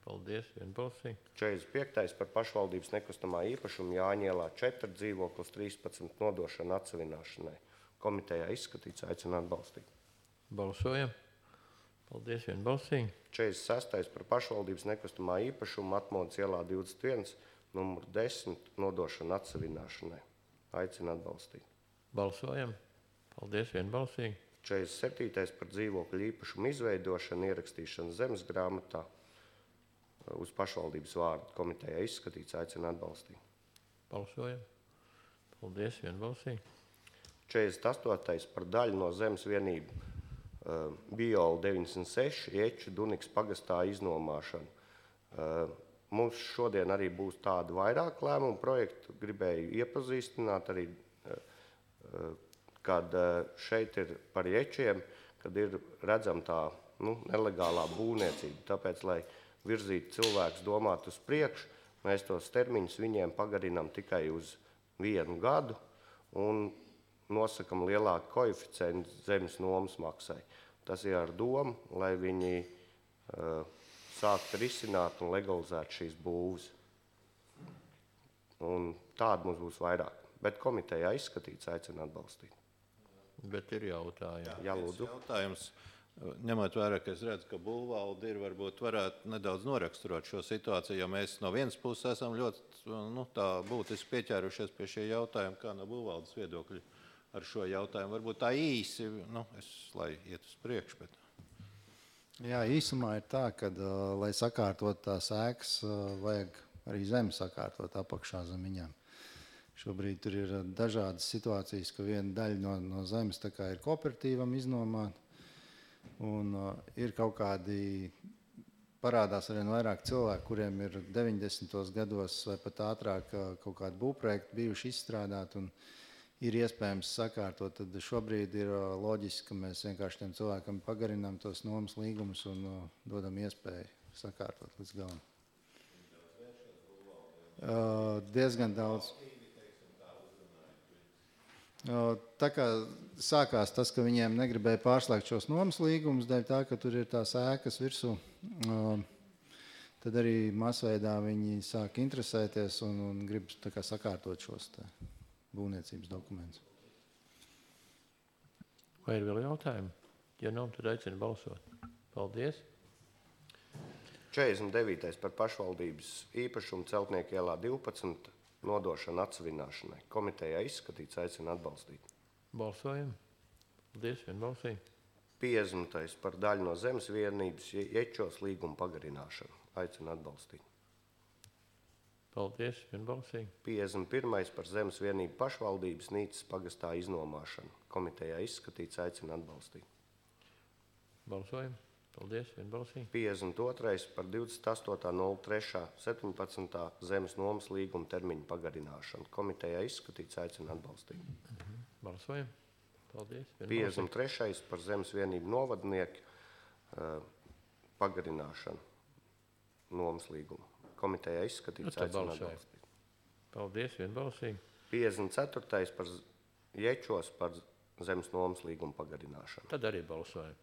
Paldies, vienbalsīgi. 45. par pašvaldības nekustamā īpašumu Jāņielā 4 dzīvoklis 13 nodošana atsavināšanai. Komitejā izskatīts, aicina atbalstīt. Balsojam. Paldies, vienbalsīgi. 46. par pašvaldības nekustamā īpašumu Atmodas ielā 21 numur 10 nodošana atsavināšanai. Aicina atbalstīt. Balsojam. Paldies, vienbalsīgi. 47. par dzīvokļu īpašumu izveidošanu ierakstīšanu zemes grāmatā uz pašvaldības vārdu. Komitejā izskatīts, aicina atbalstīt. Balsojam. Paldies, vienbalsīgi. 48. par daļu no zemes vienību Biola 96 Ieču Duniks pagastā iznomāšanu. Mums šodien arī būs tādi vairāk lēmumu projektu. Gribēju iepazīstināt arī, kad šeit ir par Iečiem, kad ir redzam tā nelegālā būvniecība. Tāpēc, lai virzītu cilvēkus domāt uz priekšu, mēs tos termiņus viņiem pagarinām tikai uz 1 gadu un nosakam lielāku koeficientu zemes nomas maksai. Tas ir ar domu, lai viņi sāktu risināt un legalizēt šīs būvas. Un tāda mums būs vairāk. Bet komitejā izskatīts, aicina atbalstīt. Bet ir jautājumi. Jā, lūdzu. Jautājums, ņemot vērā, ka es redzu, ka būvvalde ir, varbūt varētu nedaudz noraksturot šo situāciju, jo mēs no vienas puses esam ļoti tā būtiski pieķērušies pie šie jautājumi, kā no būvvaldes viedokļa ar šo jautājumu. Varbūt tā īsi, lai iet uz priekšu. Bet... Jā, īsumā ir tā, ka, lai sakārtot tās ēkas, vajag arī zemi sakārtot apakšā zem viņām. Šobrīd tur ir dažādas situācijas, ka viena daļa no zemes tā kā ir kooperatīvam iznomāta, un ir kaut kādi, parādās arvien vairāk cilvēku, kuriem ir 90. gados vai pat ātrāk kaut kādi būvprojekti bijuši izstrādāti un ir iespējams sakārtot. Tad šobrīd ir loģiski, ka mēs vienkārši tiem cilvēkam pagarinām tos nomas līgumus un dodam iespēju sakārtot līdz galam. Diezgan daudz. Tā kā sākās tas, ka viņiem negribēja pārslēgt šos nomas līgumus, dēļ tā, ka tur ir tās ēkas virsū, tad arī masveidā viņi sāk interesēties un grib tā kā sakārtot šos būvniecības dokumentus. Vai ir vēl jautājumi? Ja nav, tad aicinu balsot. Paldies. 49. par pašvaldības īpašumu Celtnieku ielā 12 nodošanu atsavināšanai. Komitejā izskatīts, aicinu atbalstīt. Balsojam. Paldies, vienbalsīgi. 50. par daļu no zemes vienības Ječos līguma pagarināšanu. Aicinu atbalstīt. Paldies, vienbalsīgi. 51. par zemes vienību pašvaldības Nīcas pagastā iznomāšanu. Komitejā izskatīts, aicinu atbalstīt. Balsojam. Paldies, vienbalsīgi. 52. par 28.03.17. zemes nomas līguma termiņu pagarināšanu. Komitejā izskatīts, aicinu atbalstīt. Balsojam. Paldies, vienbalsīgi. 53. par zemes vienību novadnieku pagarināšanu nomas līgumu. Komitejā izskatīts, aicinu atbalstīt. Paldies, vienbalsīgi. 54. par Ječos par zemes nomas līgumu pagarināšanu. Tad arī balsojam.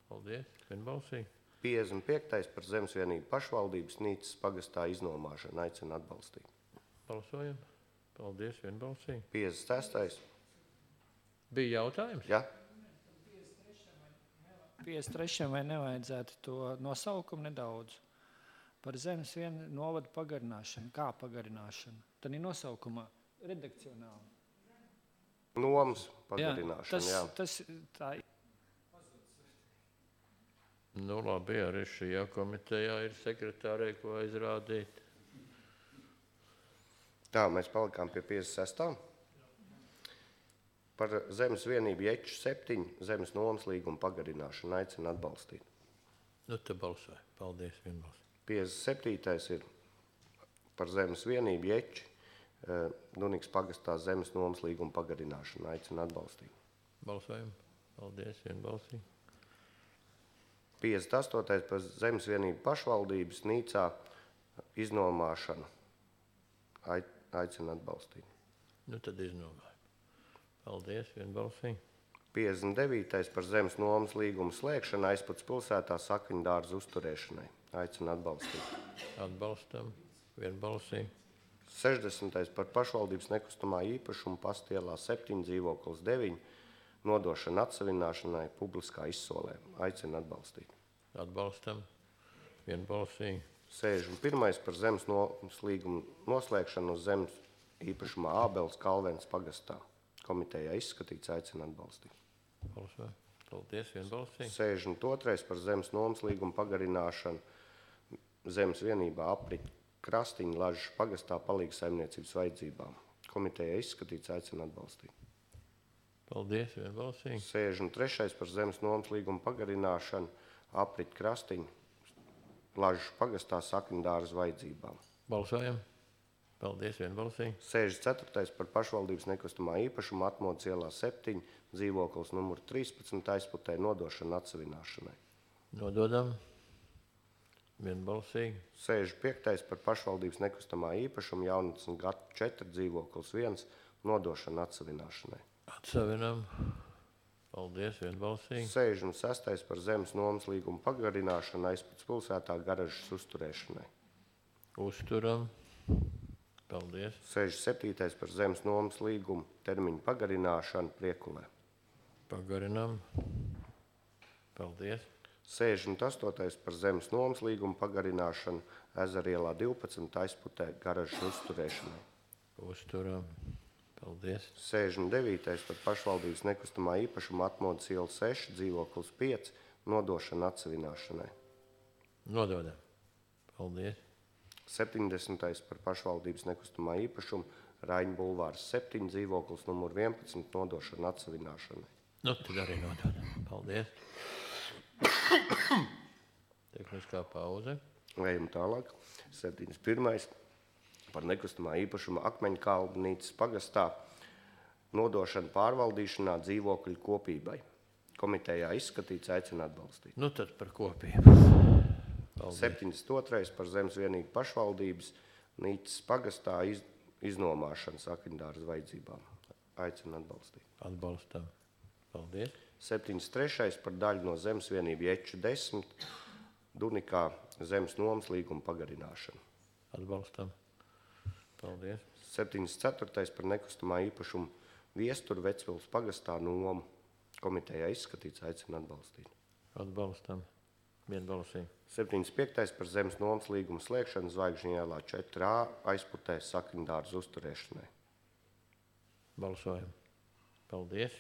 Paldies, vienbalsīgi. 55. par zemes vienību pašvaldības Nīcas pagastā iznomāšanu. Aicinu atbalstīt. Balsojam. Paldies, vienbalsīgi. 56. Bija jautājums? Ja? 53. vai nevajadzētu to nosaukumu nedaudz par zemes vienu novadu pagarināšanu. Kā pagarināšanu? Tad ir nosaukumā redakcionāli. Nomas pagarināšana, tā Nu, labi, arī šajā komitejā ir sekretārei, ko aizrādīt. Tā, mēs palikām pie 56. Par zemes vienību Ječu 7 zemes nomas līgumu pagarināšanu. Aicinu atbalstīt. Nu, te balsoja. Paldies, vienbalsīgi. 57. ir par zemes vienību Ječi Dunikas pagastā zemes nomas līgumu pagarināšanu. Aicinu atbalstīt. Balsojam. Paldies, vienbalsīgi. 58. par zemes vienību pašvaldības Nīcā iznomāšanu. Aicinu atbalstīt. Nu, tad iznomājam. Paldies, vienbalsīgi. 59. par zemes nomas līgumu slēgšanu aizpats pilsētā Sakņdārza uzturēšanai. Aicinu atbalstīt. Atbalstam. Vienbalsīgi. 60. par pašvaldības nekustamā īpašuma Pastielā 7 dzīvoklis 9 nodošana atsavināšanai publiskā izsolē. Aicinu atbalstīt. Atbalstam. Vienbalsīgi. 61. par zemes nomas līgumu noslēgšanu uz zemes īpašumā Ābels Kalvens pagastā. Komitejā izskatīts, aicinu atbalstīt. Balsojam. Paldies, vienbalsīgi. 62. par zemes nomas līgumu pagarināšanu zemes vienībā Aprit Krastiņa Lažas pagastā palīgas saimniecības vajadzībām. Komitejā izskatīts, aicinu atbalstīt. Paldies, vienbalsīgi. 63. par zemes nomas līgumu pagarināšanu Aprit Krastiņa Lažas pagastā Sakņdārza vajadzībām. Balsojam. Paldies, vienbalsīgi. 64. par pašvaldības nekustamā īpašuma Atmodas ielā 7 dzīvoklis numur 13 aizputē nodošana atsavināšanai. Nododam. Vienbalsīgi. 65. par pašvaldības nekustamā īpašuma Jaunatnes gadu 4 dzīvoklis 1 nodošana atsavināšanai. Atsavinam. Paldies, vienbalsīgi. 66. par zemes nomas līgumu pagarināšanu aizpats pilsētā garažas uzturēšanai. Uzturam. Paldies. 67. par zemes nomas līgumu termiņu pagarināšanu Priekulē. Pagarinam. Paldies. 68. par zemes nomas līgumu pagarināšanu Ezerielā 12 aizputē garažas uzturēšanai. Uzturam. Paldies. 69. par pašvaldības nekustamā īpašuma Atmodas iela 6 dzīvoklis 5 nodošana atsavināšanai. Nododam. Paldies. 70. par pašvaldības nekustamā īpašuma Raiņu bulvārs 7 dzīvoklis numur 11 nodošana atsavināšanai. Nu, tad arī nododam. Paldies. Tehniskā pauze. Ejam tālāk. 71. par nekustamā īpašuma Akmeņkalnītes pagastā nodošana pārvaldīšanā dzīvokļu kopībai. Komitejā izskatīts, aicinu atbalstīt. Nu, tad par kopību. Paldies. 72. par zemes vienību pašvaldības Nīcas pagastā iznomāšana Sakņdārza vajadzībām. Aicinu atbalstīt. Atbalstam. Paldies. 73. par daļu no zemes vienību Ječu 10 Dunikā zemes nomas līguma pagarināšanu. Atbalstam. Paldies. 74. par nekustamā īpašumu Viesturu Vecpils pagastā nomu. Komitejā izskatīts, aicina atbalstīt. Atbalstam. Vienbalsīgi. 75. par zemes nomas līgumu slēgšanu Zvaigžņu ielā 4A aizputē sakņdārzu uzturēšanai. Balsojam. Paldies.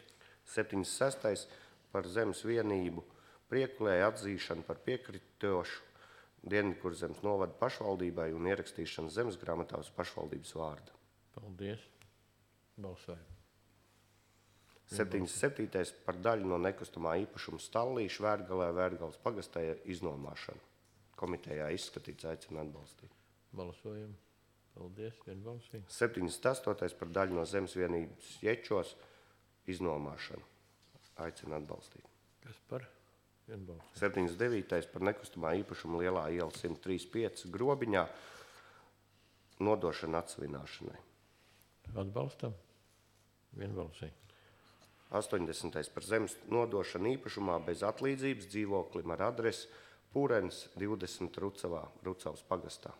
76. par zemes vienību Priekulē atzīšanu par piekritošu Dienvidkurzemes novada pašvaldībai un ierakstīšanu zemes grāmatā uz pašvaldības vārdu. Paldies. Balsojam. 77. par daļu no nekustamā īpašuma Stallīšu Vērgalē Vērgales pagastā iznomāšanu. Komitejā izskatīts, aicina atbalstīt. Balsojam. Paldies. Vienbalsīgi. 78. par daļu no zemes vienības Ječos iznomāšanu. Aicina atbalstīt. Kas par? Vienbalsīgi. 79. par nekustamā īpašuma Lielā iela 135 Grobiņā nodošana atsvināšanai. Atbalstam. Vienbalsīgi. 80. par zemes nodošanu īpašumā bez atlīdzības dzīvoklim ar adresi Pūrens 20 Rucavā, Rucavas pagastā.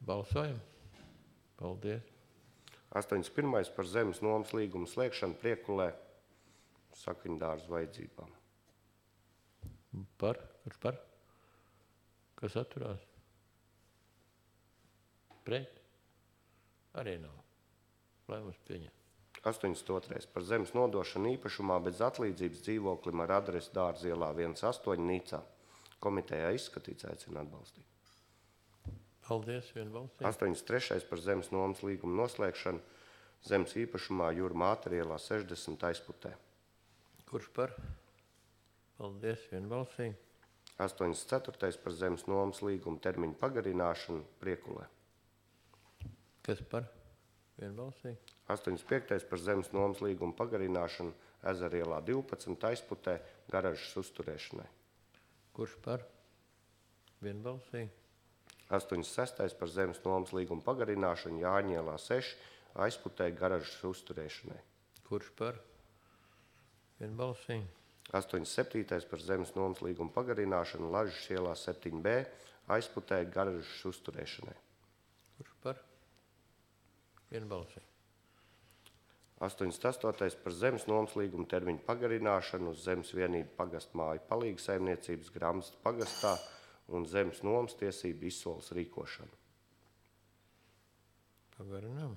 Balsojam. Paldies. 81. par zemes nomas līgumu slēgšanu Priekulē sakņdārzu vajadzībām. Par? Kurš par? Kas atturās? Pret? Arī nav. Lēmums pieņem. 82. par zemes nodošanu īpašumā bez atlīdzības dzīvoklim ar adresi Dārza ielā 18 Nīcā. Komitejā izskatīts, aicina atbalstīt. Paldies. Vienbalsīgi. 83. par zemes nomas līgumu noslēgšanu zemes īpašumā Jūra Mātera ielā 60 aizputē. Kurš par? Paldies. Vienbalsīgi. 84. par zemes nomas līgumu termiņu pagarināšanu Priekulē. Kas par? Vienbalsīgi. 85. par zemes nomas līgumu pagarināšanu Ezerielā 12 aizputē garažas uzturēšanai. Kurš par? Vienbalsīgi. 86. par zemes nomas līgumu pagarināšanu Jāņielā 6 aizputē garažas uzturēšanai. Kurš par? Vienbalsīgi. 87. par zemes nomas līgumu pagarināšanu Lažas ielā 7B aizputē garažas uzturēšanai. Kurš par? Vienbalsīgi. 88. par zemes nomas līgumu termiņu pagarināšanu uz zemes vienību pagastmāju palīgu saimniecības Gramstas pagastā un zemes nomas tiesību izsoles rīkošanu. Pagarinām.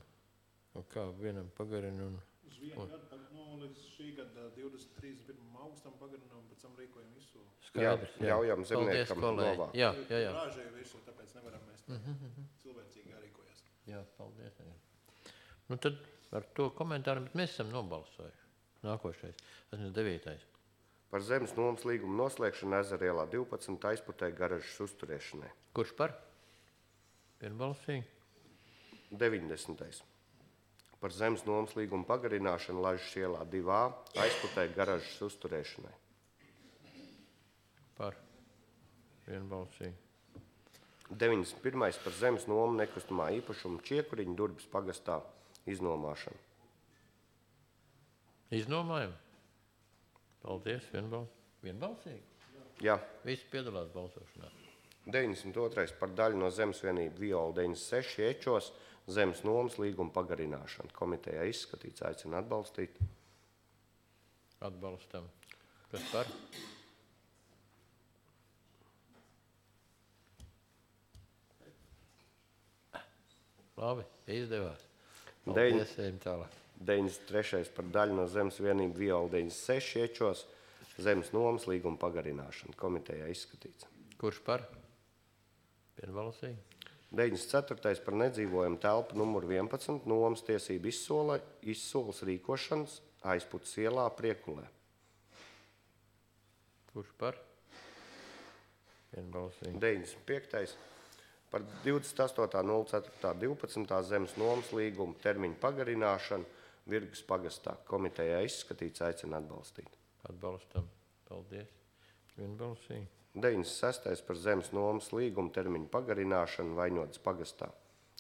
Un kā vienam pagarina un... Uz vienu gadu, līdz šī gada 23. augustam pagarinām, pēc tam rīkojam izsoli. Skaidrs, jā. Ļaujam zemniekam novākt. Jā. Rāžēju visu, tāpēc nevaram mēs cilvēcīgi jārīkojas. Jā, paldies. Nu tad ar to komentāru mēs esam nobalsojuši. Nākošais. 89. Par zemes nomas līgumu noslēgšanu Ezerielā 12 aizputē garažas uzturēšanai. Kurš par? Vienbalsīgi. 90. par zemes nomas līgumu pagarināšanu Lažas ielā 2A aizputē garažas uzturēšanai. Par. Vienbalsīgi. 91. par zemes nomu nekustamā īpašuma Čiekuriņu Durbes pagastā iznomāšanu. Iznomājam. Paldies. Vienbalsīgi. Jā. Visi piedalās balsošanā. 92. par daļu no zemes vienību Viola 96 Iečos zemes nomas līguma pagarināšanu. Komitejā izskatīts, aicina atbalstīt. Atbalstam. Kas par? Labi, izdevās. Paldies, ejam tālāk. 93. par daļu no zemes vienību Viola 96 Iečos zemes nomas līguma pagarināšanu. Komitejā izskatīts. Kurš par? Vienbalsīgi. 94. par nedzīvojumu telpu numuru 11 nomas tiesību izsoles rīkošanas aizputas ielā Priekulē. Kurš par? Vienbalsīgi. 95. par 28.04.12. zemes nomas līgumu termiņu pagarināšanu Virgas pagastā. Komitejā izskatīts, aicina atbalstīt. Atbalstam. Paldies. Vienbalsīgi. 96. par zemes nomas līgumu termiņu pagarināšanu Vaņotas pagastā.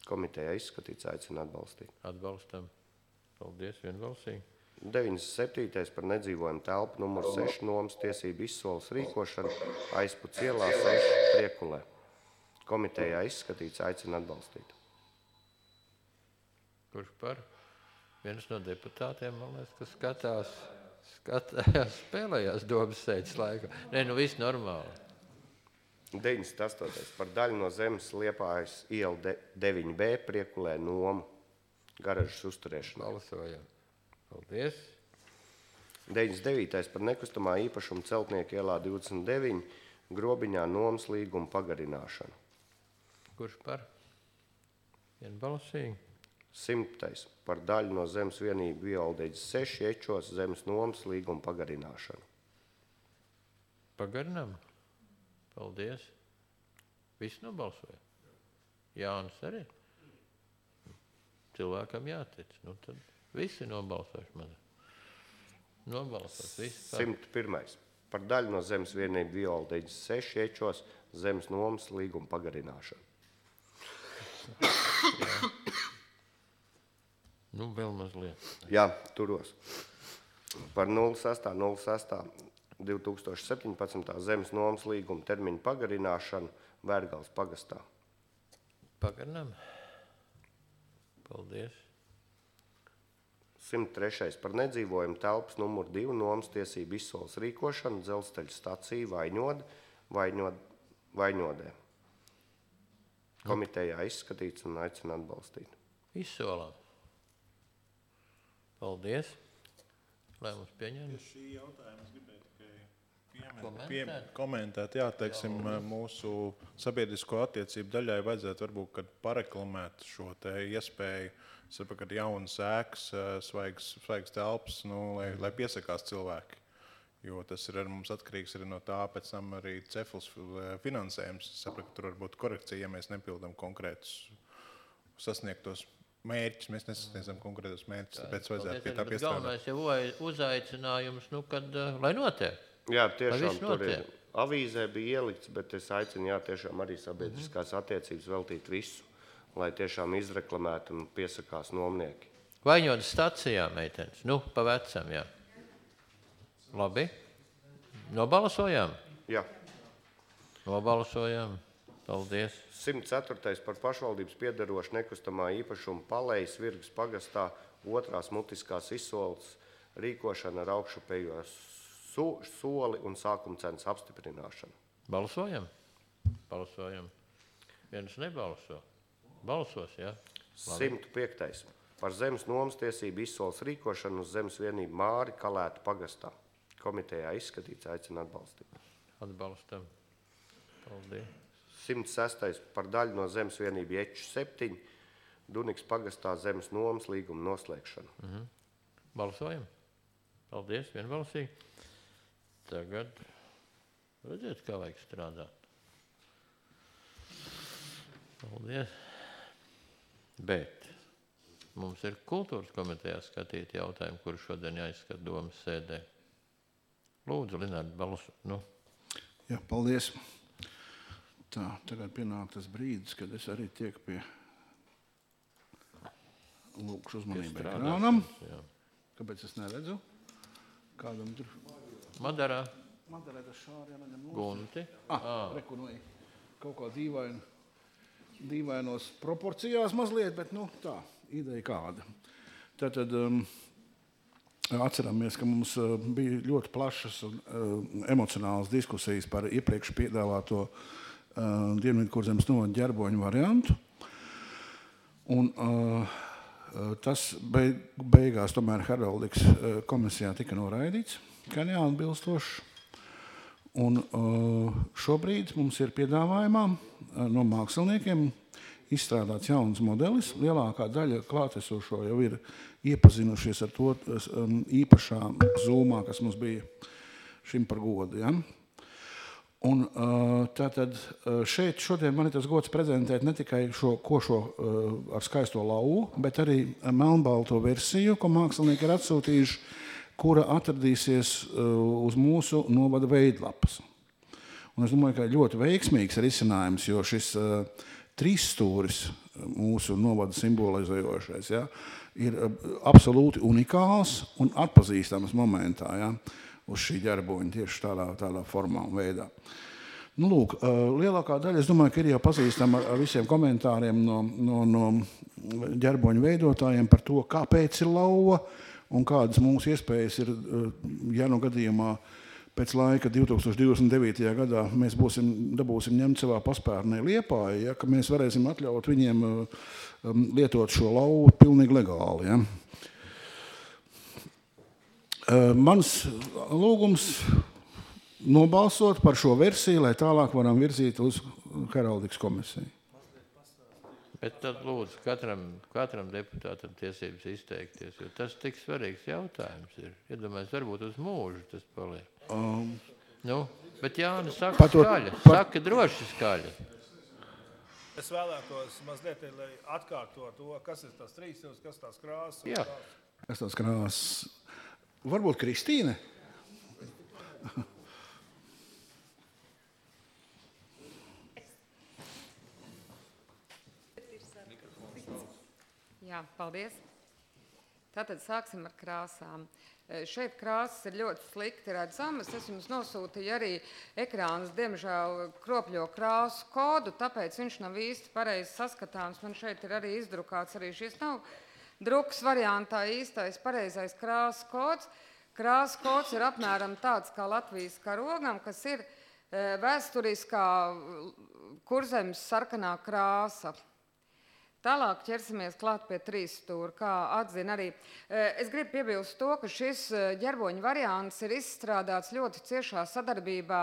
Komitejā izskatīts, aicina atbalstīt. Atbalstam. Paldies. Vienbalsīgi. 97. par nedzīvojumu telpu numuru 6 nomas tiesību izsoles rīkošanu aizputs ielā 6 Priekulē. Komitejā izskatīts, aicina atbalstīt. Kurš par? Viens no deputātiem, man liekas, kas skatās. skatījās, spēlējās domas sēdes laikā. Nē, nu viss normāli. 98. par daļu no zemes Liepājas iela 9B Priekulē nomu garažas uzturēšanai. Balsojam. Paldies. 99. par nekustamā īpašuma Celtnieku ielā 29 Grobiņā nomas līguma pagarināšanu. Kurš par? Vienbalsīgi. 100. par daļu no zemes vienību Violdēģis 6 Ečos zemes nomas līguma pagarināšanu. Pagarinām. Paldies. Viss nobalsoja. Jānis arī. Cilvēkam jātic. Nu, tad visi nobalsojuši man. Nobalsojuši. 101. par daļu no zemes vienību Violdēģis 6 Ečos zemes nomas līguma pagarināšanu. Nu, vēl mazliet. Jā, turos. Par 06.06.2017. zemes nomas līguma termiņu pagarināšanu Vērgales pagastā. Pagarinām. Paldies. 103. par nedzīvojumu telpas numuru 2 nomas tiesību izsoles rīkošanu dzelzceļa staciju Vaņodē. Komitejā izskatīts un aicina atbalstīt. Izsolām. Paldies. Lēmums pieņēma. Šī jautājuma es gribēju tikai komentēt. Jā, teiksim, mūsu sabiedrisko attiecību daļai vajadzētu varbūt, kad pareklamēt šo te iespēju, sapratu, kad jaunas ēkas, svaigas telpas, lai piesakās cilvēki. Jo tas ir ar mums atkarīgs arī no tā, pēc tam arī cefls finansējums. Sapratu, ka tur var būt korekcija, ja mēs nepildam konkrētus sasniegtos mērķus. Mēs nesasniedzam konkrētos mērķus, tāpēc vajadzētu pie tā piestrādāt. Galvenais jau uzaicinājums, lai notiek. Jā, tiešām tur ir. Avīzē bija ielikts, bet es aicinu, tiešām arī sabiedriskās attiecības veltīt visu, lai tiešām izreklamētu un piesakās nomnieki. Vaņodas stacijā, meitenes. Nu, pa vecam, jā. Labi. Nobalsojām? Jā. Nobalsojām. Paldies. 104. par pašvaldības piederošu nekustamā īpašuma Palejas Virgas pagastā otrās mutiskās izsoles rīkošana ar augšupējos soli un sākuma cenas apstiprināšanu. Balsojam? Balsojam. Viens nebalso. Balsos, jā? Labi. 105. par zemes nomas tiesību izsoles rīkošanu uz zemes vienību Māri Kalētu pagastā. Komitejā izskatīts, aicina atbalstīt. Atbalstam. Paldies. 106. par daļu no zemes vienību Eču 7 Duniks pagastā zemes nomas līguma noslēgšanu. Balsojam. Paldies, vienbalsīgi. Tagad redziet, kā vajag strādāt. Paldies. Bet mums ir kultūras komitejā skatīt jautājumu, kuru šodien jāizskat domas sēdē. Lūdzu, Linārd, balsu. Nu. Jā, paldies. Tā, tagad pienāk tas brīdis, kad es arī tiek pie lūkšu uzmanību ekrānam. Kāpēc es neredzu? Kādam tur? Madarā. Madarā tas šāri jānaņem nos. Gunti. Rekunoja. Kaut kā dīvainos proporcijās mazliet, bet tā, ideja kāda. Tātad atceramies, ka mums bija ļoti plašas un emocionālas diskusijas par iepriekš piedāvāto Dienvidkurzemes novada ģerboņu variantu. Un tas beigās tomēr heraldikas komisijā tika noraidīts, kā neatbilstošs. Un šobrīd mums ir piedāvājumā no māksliniekiem izstrādāts jauns modelis. Lielākā daļa klātesošo jau ir iepazinušies ar to īpašā zūmā, kas mums bija šim par godu. Ja? Un tātad šeit šodien man ir tas gods prezentēt ne tikai šo ar skaisto lauvu, bet arī melnbalto versiju, ko mākslinieki ir atsūtījuši, kura atradīsies uz mūsu novada veidlapas. Un es domāju, ka ļoti veiksmīgs risinājums, jo šis trīsstūris mūsu novada simbolizējošais, ja, ir absolūti unikāls un atpazīstams momentā, ja, uz šī ģerboņa tieši tādā formā un veidā. Nu, lūk, lielākā daļa, es domāju, ka ir jau pazīstama ar visiem komentāriem no ģerboņu veidotājiem par to, kāpēc ir lauva un kādas mūsu iespējas ir, ja no gadījumā pēc laika 2029. gadā mēs dabūsim ņemt savā paspērnē Liepāju, ja, ka mēs varēsim atļaut viņiem lietot šo lauvu pilnīgi legāli. Ja. Mans lūgums nobalsot par šo versiju, lai tālāk varam virzīt uz heraldikas komisiju. Bet tad lūdzu katram deputātam tiesības izteikties, jo tas tik svarīgs jautājums ir. Iedomājies, varbūt uz mūžu tas paliek. Bet Jāni saka skaļi, saka droši skaļi. Es vēlētos mazliet, lai atkārto to, kas ir tās trīsstūris, kas tās krāsas. Jā. Kas tās krāsas? Varbūt Kristīne? Jā, paldies. Tātad sāksim ar krāsām. Šeit krāsas ir ļoti slikti redzamas. Es jums nosūtīju arī ekrānas, diemžēl, kropļo krāsu kodu, tāpēc viņš nav īsti pareizi saskatāms. Man šeit ir arī izdrukāts, arī šis nav drukas variantā īstais pareizais krāsu kods. Krāsu kods ir apmēram tāds kā Latvijas karogam, kas ir vēsturiskā Kurzemes sarkanā krāsa. Tālāk ķersimies klāt pie trīsstūra, kā atzina arī. Es gribu piebilst to, ka šis ģerboņu variants ir izstrādāts ļoti ciešā sadarbībā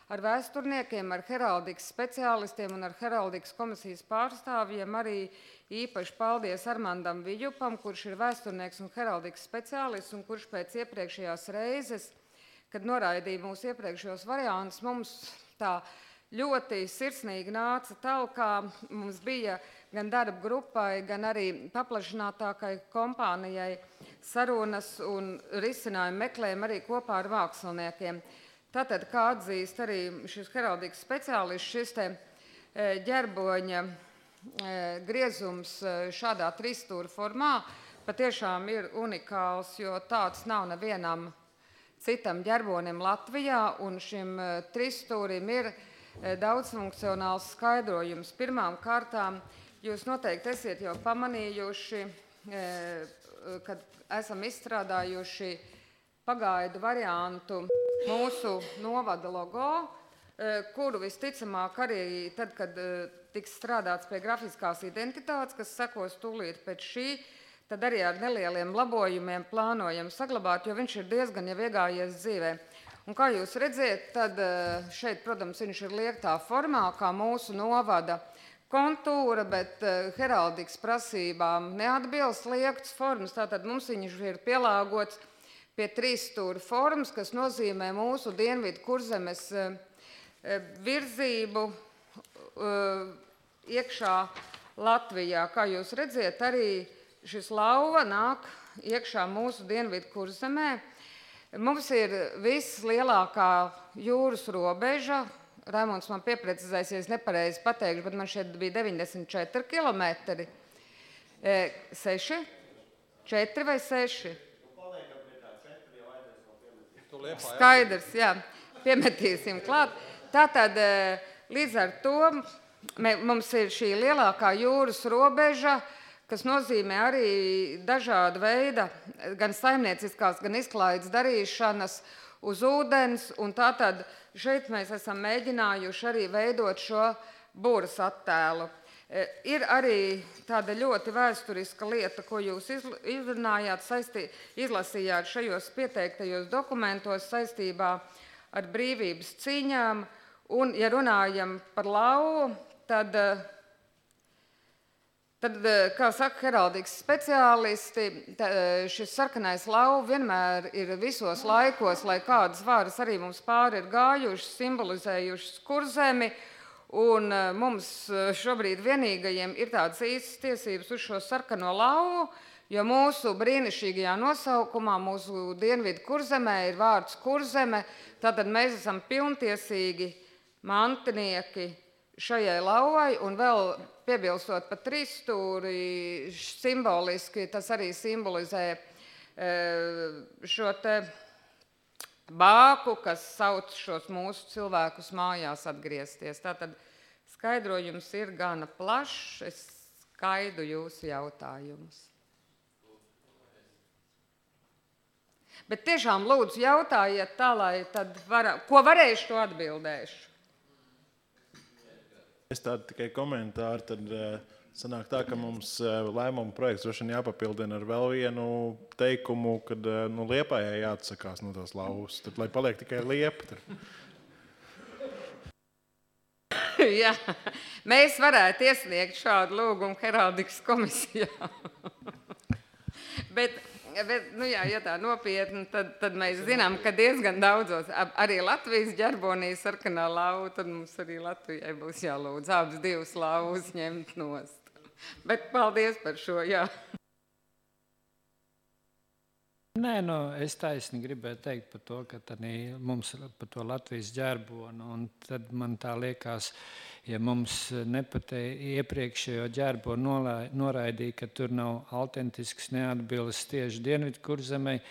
ar vēsturniekiem, ar heraldikas speciālistiem un ar heraldikas komisijas pārstāvjiem. Arī īpaši paldies Armandam Viļupam, kurš ir vēsturnieks un heraldikas speciālists, un kurš pēc iepriekšējās reizes, kad noraidīja mūsu iepriekšējos variantus, mums tā ļoti sirsnīgi nāca talkā. Mums bija gan darba grupai, gan arī paplašinātākai kompānijai sarunas un risinājumu meklējumi arī kopā ar māksliniekiem. Tātad, kā atzīst arī šis heraldikas speciālists, šis te ģerboņa griezums šādā trīsstūra formā patiešām ir unikāls, jo tāds nav nevienam citam ģerbonim Latvijā, un šim trīsstūrim ir daudzfunkcionāls skaidrojums. Pirmām kārtām jūs noteikti esiet jau pamanījuši, kad esam izstrādājuši pagaidu variantu mūsu novada logo, kuru visticamāk arī tad, kad tiks strādāts pie grafiskās identitātes, kas sekos tūlīt pēc šī, tad arī ar nelieliem labojumiem plānojam saglabāt, jo viņš ir diezgan jau iegājies dzīvē. Un kā jūs redziet, tad šeit, protams, viņš ir liektā formā, kā mūsu novada kontūra, bet heraldikas prasībām neatbilst liektas formas. Tātad mums viņš ir pielāgots pie trīsstūra formas, kas nozīmē mūsu dienvidu Kurzemes virzību iekšā Latvijā. Kā jūs redziet, arī šis lauva nāk iekšā mūsu dienvidu Kurzemē. Mums ir vislielākā jūras robeža. Raimonds man pieprecizēsies nepareizi pateikšu, bet man šeit bija 94 kilometri. 6? 4 vai 6? Skaidrs, jā. Piemetīsim klāt. Tātad līdz ar to mums ir šī lielākā jūras robeža, kas nozīmē arī dažāda veida, gan saimnieciskās, gan izklaides darīšanas uz ūdens, un tātad šeit mēs esam mēģinājuši arī veidot šo būras attēlu. Ir arī tāda ļoti vēsturiska lieta, ko jūs izrunājāt, izlasījāt šajos pieteiktajos dokumentos saistībā ar brīvības cīņām, un, ja runājam par lauvu, tad, kā saka heraldikas speciālisti, šis sarkanais lauva vienmēr ir visos laikos, lai kādas varas arī mums pāri ir gājušas, simbolizējušas Kurzemi, un mums šobrīd vienīgajiem ir tādas īstas tiesības uz šo sarkano lauvu, jo mūsu brīnišķīgajā nosaukumā, mūsu dienvidu Kurzemē ir vārds Kurzeme, tātad mēs esam pilntiesīgi mantinieki šajai lauvai, un vēl piebilstot par trīsstūri, simboliski tas arī simbolizē šo te bāku, kas sauc šos mūsu cilvēkus mājās atgriezties. Tātad skaidrojums ir gana plašs, es skaidu jūsu jautājumus. Bet tiešām lūdzu jautājiet tā, lai tad ko varēšu, to atbildēšu. Es tādu tikai komentāru, tad sanāk tā, ka mums lēmuma projekts droši vien jāpapildina ar vēl vienu teikumu, kad Liepājai jāatsakās no tās lauvas, tad lai paliek tikai Liepa. Jā, mēs varētu iesniegt šādu lūgumu heraldikas komisijā. Bet ja tā nopietni, tad mēs zinām, ka diezgan daudzos, arī Latvijas ģerbonī sarkanā lauva, tad mums arī Latvijai būs jālūdz abas divas lauvas ņemt nost. Bet paldies par šo, jā. Nē, es taisni gribēju teikt par to, ka mums par to Latvijas ģerbonu, un tad man tā liekas, ja mums iepriekšējo ģerbonu noraidīja, ka tur nav autentisks neatbildes tieši Dienvidu Kurzemei,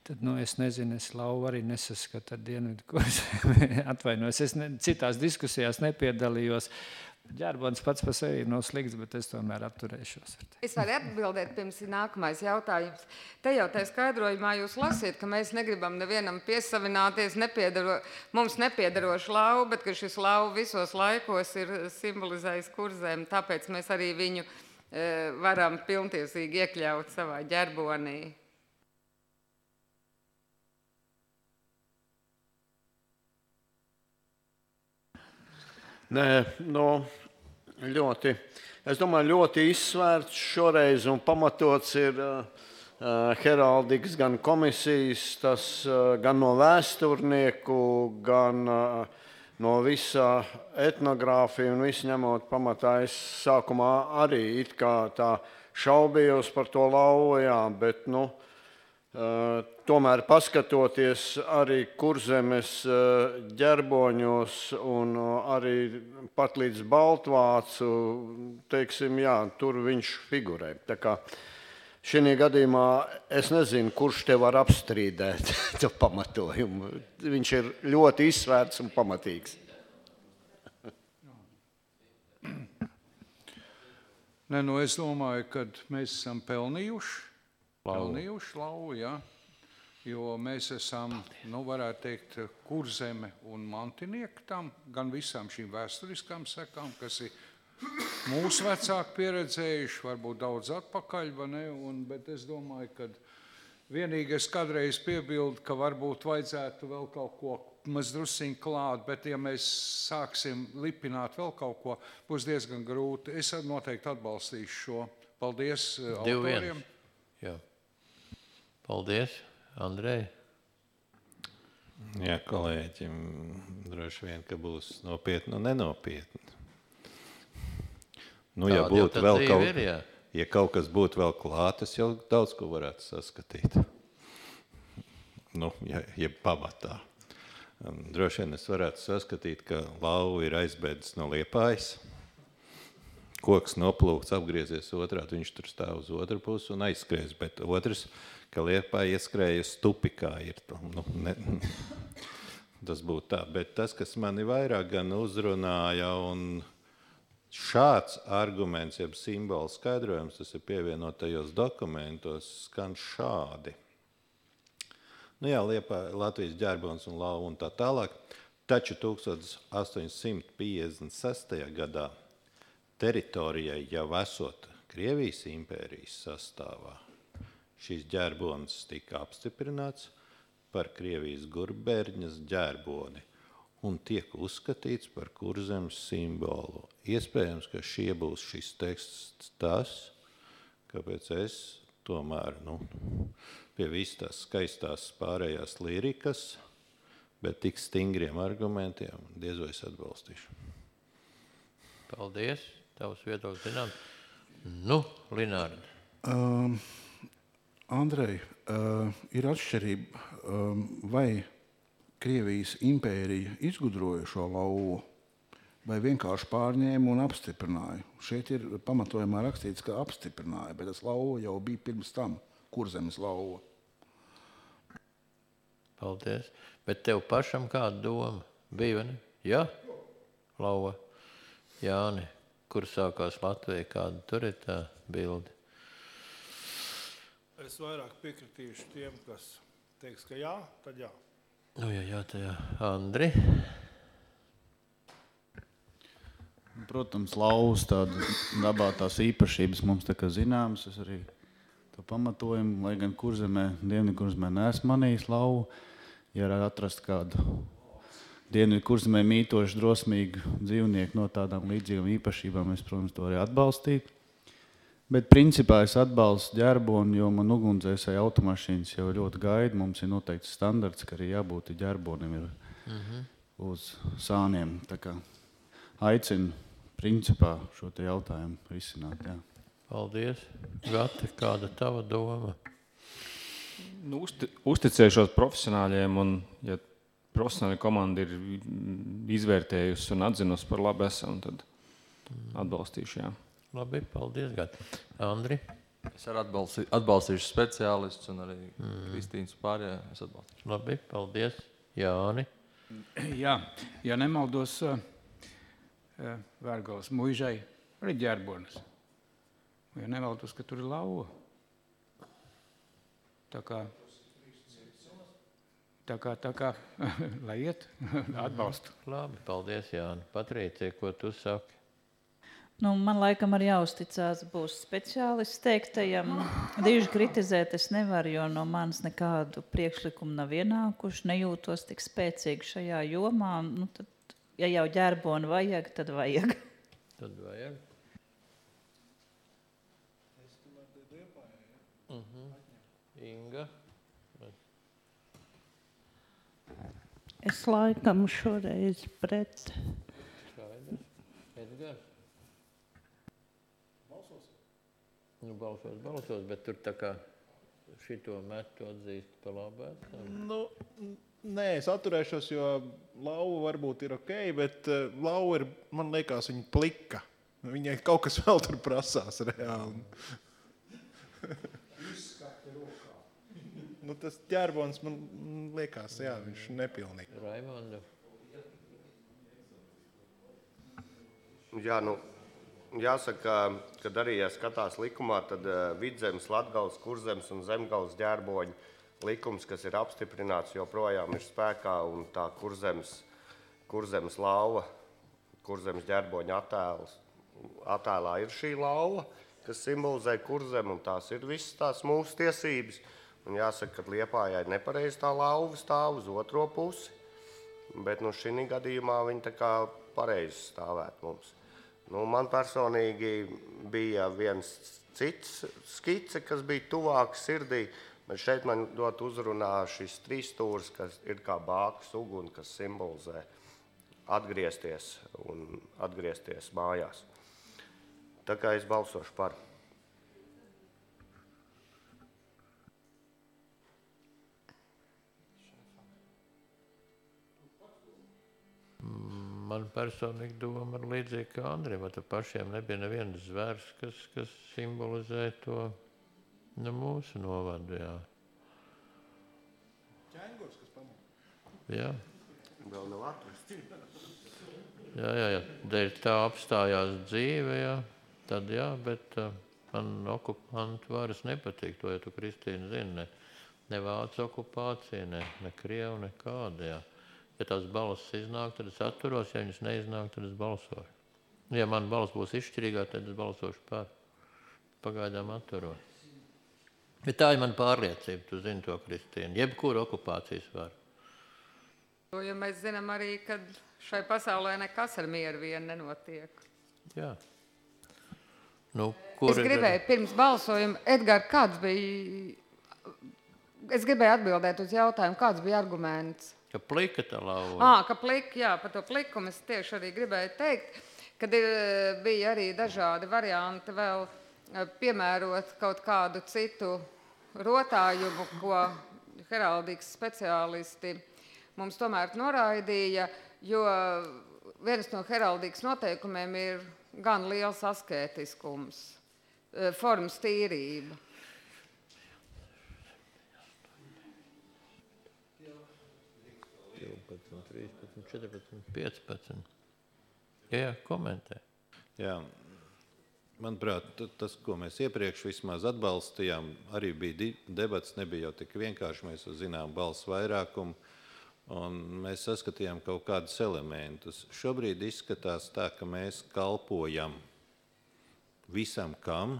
tad, es nezinu, es lauvu arī nesaskatu ar Dienvidu Kurzemei. Atvainojos, es citās diskusijās nepiedalījos. Ģerbons pats par sevi nav slikts, bet es tomēr atturēšos. Es varu atbildēt pirms nākamais jautājums. Te jau tā skaidrojumā jūs lasiet, ka mēs negribam nevienam piesavināties mums nepiedarošu lauvu, bet ka šis lauva visos laikos ir simbolizējis Kurzemi, tāpēc mēs arī viņu varam pilntiesīgi iekļaut savā ģerbonī. Nē, es domāju, ļoti izsvērts šoreiz un pamatots ir heraldikas gan komisijas, tas gan no vēsturnieku, gan no visā etnogrāfija un visu ņemot pamatā. Es sākumā arī it kā tā šaubījos par to lauvu, jā, bet, tomēr paskatoties arī Kurzemes ģerboņos un arī pat līdz Baltvācu, teiksim, jā, tur viņš figurē. Tā kā šī gadījumā es nezinu, kurš te var apstrīdēt to pamatojumu. Viņš ir ļoti izsvērts un pamatīgs. Nē, es domāju, ka mēs esam pelnījuši lauvu, jā. Jo mēs esam, varētu teikt, Kurzeme un mantinieki tam, gan visām šīm vēsturiskām sekām, kas ir mūsu vecāki pieredzējuši, varbūt daudz atpakaļ, bet es domāju, ka vienīgi es kādreiz piebildu, ka varbūt vajadzētu vēl kaut ko mazdrusiņ klāt, bet ja mēs sāksim lipināt vēl kaut ko, būs diezgan grūti. Es noteikti atbalstīšu šo. Paldies autoriem. Jā. Paldies. Andrej? Jā, kolēģim droši vien, ka būs nopietni un nenopietni. Ja kaut kas būtu vēl klāt, es jau daudz ko varētu saskatīt. Ja pamatā. Droši vien es varētu saskatīt, ka lauva ir aizbēdis no Liepājas. Koks noplūkts, apgriezies otrādi, viņš tur stāv uz otru pusi un aizskries, bet otrs, ka Liepāja ieskrēja stupikā ir. Tas būtu tā, bet tas, kas mani vairāk gan uzrunāja, un šāds arguments, jeb simbola skaidrojums, tas ir pievienotajos dokumentos, skan šādi. Liepāja, Latvijas ģerbons un lauva un tā tālāk, taču 1856. gadā teritorijai jau esot Krievijas impērijas sastāvā, šīs ģerbonis tika apstiprināts par Krievijas Gurbērņas ģerboni un tiek uzskatīts par Kurzemes simbolu. Iespējams, ka būs šis teksts tas, kāpēc es tomēr pie visas tās skaistās pārējās lirikas, bet tik stingriem argumentiem diez vai es atbalstīšu. Paldies. Tavs viedoklis zinām. Linārdi. Andrej, ir atšķirība, vai Krievijas impērija izgudroja šo lauvu, vai vienkārši pārņēma un apstiprināja. Šeit ir pamatojumā rakstīts, ka apstiprināja, bet tas lauva jau bija pirms tam, Kurzemes lauva. Paldies. Bet tev pašam kāda doma bija, vai ne? Jā? Lauva. Jāni. Kur sākās Latvija, kāda tur ir tā bilde? Es vairāk piekritīšu tiem, kas teiks, ka jā, tad jā. Nu, jā, tā jā. Andri? Protams, lauvas tāda dabā tās īpašības mums tā kā zināmas. Es arī to pamatojumu, lai gan Kurzemē, Dienvidkurzemē neesmu manījis lauvu. Ja atrast kādu Dienvidkurzemē mītošu, drosmīgu dzīvnieku no tādām līdzīgām īpašībām, es, protams, to arī atbalstītu. Bet principā es atbalstu ģerboni, jo man ugunsdzēsēju automašīnas jau ļoti gaida. Mums ir noteikts standarts, ka arī jābūt ģerbonim uz sāniem. Tā kā aicinu principā šo te jautājumu risināt. Jā. Paldies. Gati, kāda tava doma? Nu, uzticēšos profesionāļiem, un ja profesionāļa komanda ir izvērtējusi un atzinusi par labu esam, tad atbalstīšu, jā. Labi, paldies, Gati. Andri? Es arī atbalstīšu speciālistus un arī Kristīnas pārējā es atbalstīšu. Labi, paldies. Jāni? Jā, ja nemaldos, Vērgals muižai arī ģerbonis. Ja nemaldos, ka tur ir lauva. Tā kā, lai iet, atbalstu. Labi, paldies, Jāni. Patrīcija, ko tu saki? Nu, man laikam arī jāuzticās būs speciālists teiktajam. Diži kritizēt es nevaru, jo no manis nekādu priekšlikumu nav ienākuši. Nejūtos tik spēcīgi šajā jomā. Nu, tad, ja jau ģerboni vajag, tad vajag. Tad vajag. Inga? Es laikam šoreiz pret. Skaidrs. Edgars? Nu, balsos, bet tur tā kā šito metu atzīst pa labu esam. Nu, nē, es atturēšos, jo lauva varbūt ir ok, bet lauva ir, man liekas, viņa plika. Viņai kaut kas vēl tur prasās reāli. Nu, tas ģerbons, man liekas, jā, viņš nepilnīgi. Raimondu? Jā, nu, jāsaka, kad arī, ja skatās likumā, tad Vidzemes, Latgales, Kurzemes un Zemgales ģerboņu likums, kas ir apstiprināts, joprojām ir spēkā, un tā Kurzemes lauva, Kurzemes ģerboņa attēlā ir šī lauva, kas simbolizē Kurzemi, un tās ir visas tās mūsu tiesības. Un jāsaka, ka Liepājai nepareizi tā lauva stāv uz otro pusi, bet nu šī gadījumā viņa tā kā pareizi stāvēt mums. Nu, man personīgi bija viens cits skice, kas bija tuvāk sirdī, bet šeit man ļoti uzrunā šis trīsstūris, kas ir kā bākas uguni, kas simbolizē atgriezties mājās. Tā kā es balsošu par. Man personīgi doma ir līdzīgi kā Andriem, vai pašiem nebija neviens zvērs, kas simbolizē to mūsu novadu, jā. Ķēngurs, kas pamūk? Jā. Vēl nav atrasts. Jā, dēļ tā apstājās dzīve, jā, tad jā, bet man okupantu varas nepatīk, to, ja tu, Kristīna, zini, ne vācu okupācija, ne krievu, nekāda, jā. Ja tās balss iznāk, tad es atturos, ja viņas neiznāk, tad es balsošu. Ja man balss būs izšķirīgā, tad es balsošu par. Pagaidām atturos. Bet tā ir man pārliecība, tu zini to, Kristīna. Jebkura okupācijas var. Jo mēs zinām arī, ka šai pasaulē nekas ar mieru vien nenotiek. Jā. Nu, es gribēju pirms balsojuma, Edgar, kāds bija... Es gribēju atbildēt uz jautājumu, kāds bija arguments? Ka plika tā lauva. Ka plika, jā, par to plikumu es tieši arī gribēju teikt, kad bija arī dažādi varianti vēl piemērot kaut kādu citu rotājumu, ko heraldikas speciālisti mums tomēr noraidīja, jo viens no heraldikas noteikumiem ir gan liels askētiskums, formas tīrība. 13, 14, 15. Jā, komentē. Jā. manuprāt, tas, ko mēs iepriekš vismaz atbalstījām, arī bija debats, nebija jau tik vienkārši, mēs zinām balsu vairākumu, un mēs saskatījām kaut kādus elementus. Šobrīd izskatās tā, ka mēs kalpojam visam kam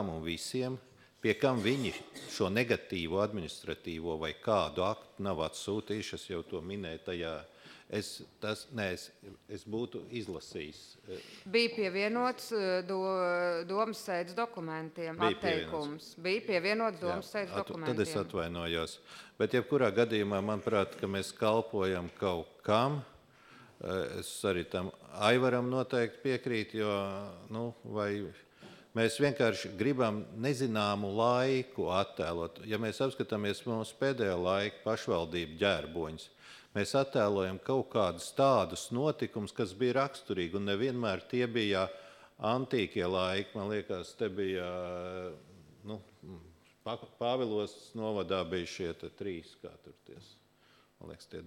un visiem, pie kam viņi šo negatīvo administratīvo vai kādu aktu nav atsūtījuši, es jau to minēju tajā, es būtu izlasījis. Bija pievienots domas sēdes dokumentiem atteikums. Bija pievienots domas sēdes dokumentiem. Tad es atvainojos. Bet jebkurā gadījumā, manuprāt, ka mēs kalpojam kaut kam, es arī tam Aivaram noteikti piekrīt, jo, vai mēs vienkārši gribam nezināmu laiku attēlot. Ja mēs apskatāmies mūsu pēdējo laiku pašvaldību ģērboņus, mēs attēlojam kaut kādus tādus notikumus, kas bija raksturīgi, un nevienmēr tie bija antīkie laiki. Man liekas, te bija, Pāvilos novadā bija šie 3, kā tur ties. Man liekas, tie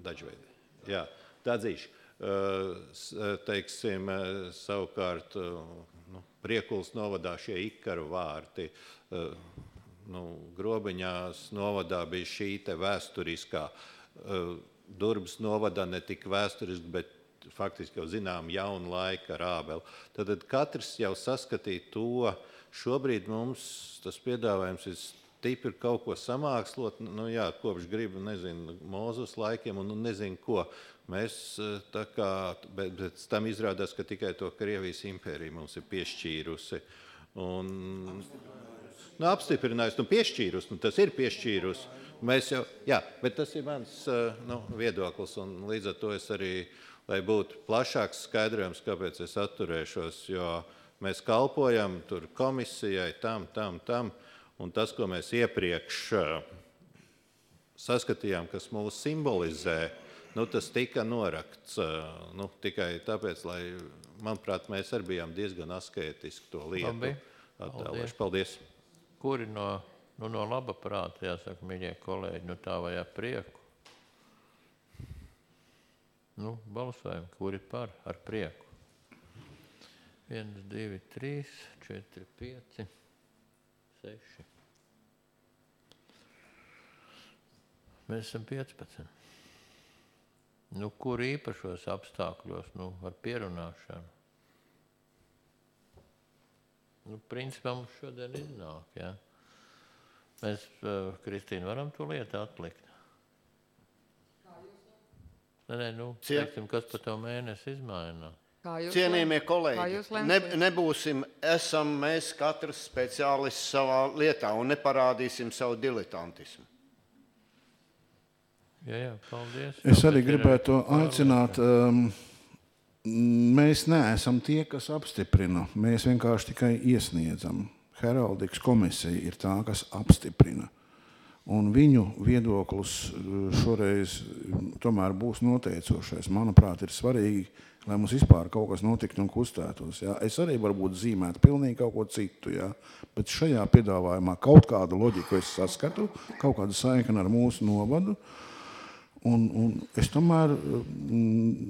dažveidi. Jā, Dadzīši. Teiksim, savukārt, Priekulas novadā šie ikaru vārti, Grobiņās novadā bija šī te vēsturiskā, Durbas novadā ne tik vēsturiski, bet faktiski jau zinām jaunu laiku ar Ābeli. Tad katrs jau saskatīja to, šobrīd mums tas piedāvājums ir stipri kaut ko samākslot, kopš gribu, nezinu, Mūzes laikiem un nezinu ko. Mēs tā kā, bet tam izrādās, ka tikai to Krievijas impērija mums ir piešķīrusi. Apstiprinājusi, piešķīrusi, tas ir piešķīrusi. Mēs jau, bet tas ir mans viedoklis, un līdz ar to es arī, lai būtu plašāks skaidrojums, kāpēc es atturēšos, jo mēs kalpojam tur komisijai, tam, un tas, ko mēs iepriekš saskatījām, kas mūs simbolizē, tas tika norakts tikai tāpēc, lai, manuprāt, mēs arī bijām diezgan askētiski to lietu attēloši. Paldies. Kuri no laba prāta, jāsaka, mīļie kolēģi, tā vai ar prieku? Balsojam, kuri par ar prieku? 1, 2, 3, 4, 5, 6. Mēs esam 15. Kur īpašos apstākļos, ar pierunāšanu? Principā mums šodien iznāk, jā. Mēs, Kristīna, varam to lietu atlikt? Teiksim, kas pa to mēnesi izmainā? Cienījamie kolēģi, esam mēs katrs speciālists savā lietā un neparādīsim savu diletantismu. Jā, paldies. Es arī gribētu aicināt, mēs neesam tie, kas apstiprina, mēs vienkārši tikai iesniedzam. Heraldikas komisija ir tā, kas apstiprina. Un viņu viedoklis šoreiz tomēr būs noteicošais. Manuprāt, ir svarīgi, lai mums vispār kaut kas notiktu un kustētos. Jā. Es arī varbūt zīmētu pilnīgi kaut ko citu, jā. Bet šajā piedāvājumā kaut kādu loģiku es saskatu, kaut kādu saikni ar mūsu novadu. Un es tomēr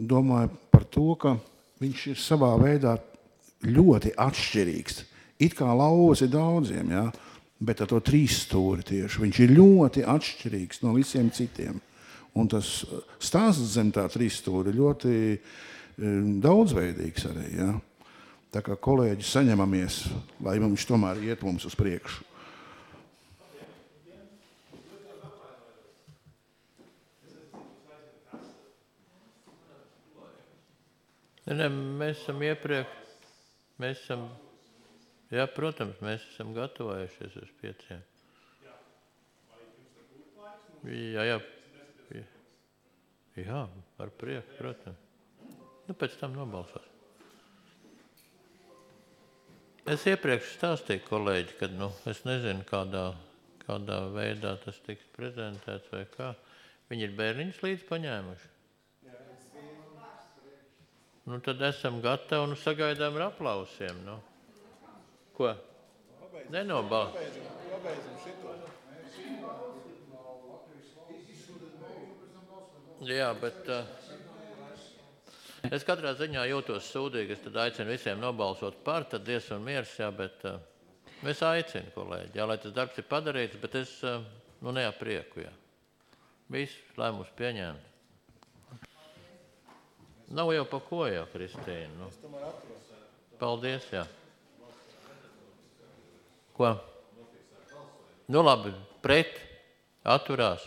domāju par to, ka viņš ir savā veidā ļoti atšķirīgs. It kā lauvas ir daudziem, jā, bet ar to 3 stūri tieši. Viņš ir ļoti atšķirīgs no visiem citiem. Un tas stāsts zem tā 3 stūri ļoti daudzveidīgs arī. Jā. Tā kā kolēģi saņemamies, lai viņš tomēr iet mums uz priekšu. Mēs esam iepriekš, jā, protams, mēs esam gatavojušies uz 5. Jā, ar prieku, protams. Pēc tam nobalsos. Es iepriekš stāstīju, kolēģi, kad, es nezinu, kādā veidā tas tiks prezentēts vai kā. Viņi ir bērniņus līdz paņēmuši. Tad esam gatavi un sagaidām ar aplausiem. Ko? Pabeidsim šito. Jā, bet Es katrā ziņā jūtos sūdīgi, es tad aicinu visiem nobalsot par, tad dies un miers, jā, bet es aicinu, kolēģi, jā, lai tas darbs ir padarīts, bet es, neaprieku, jā. Viss lēmums pieņēmt. Nav jau pa ko jau, Kristīna. Paldies, jā. Ko? Labi, pret, atturās.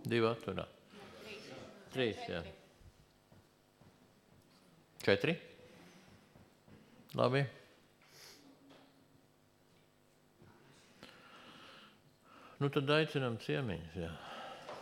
2 atturās. 3, jā. 4. Labi. Tad aicinām ciemiņus, jā.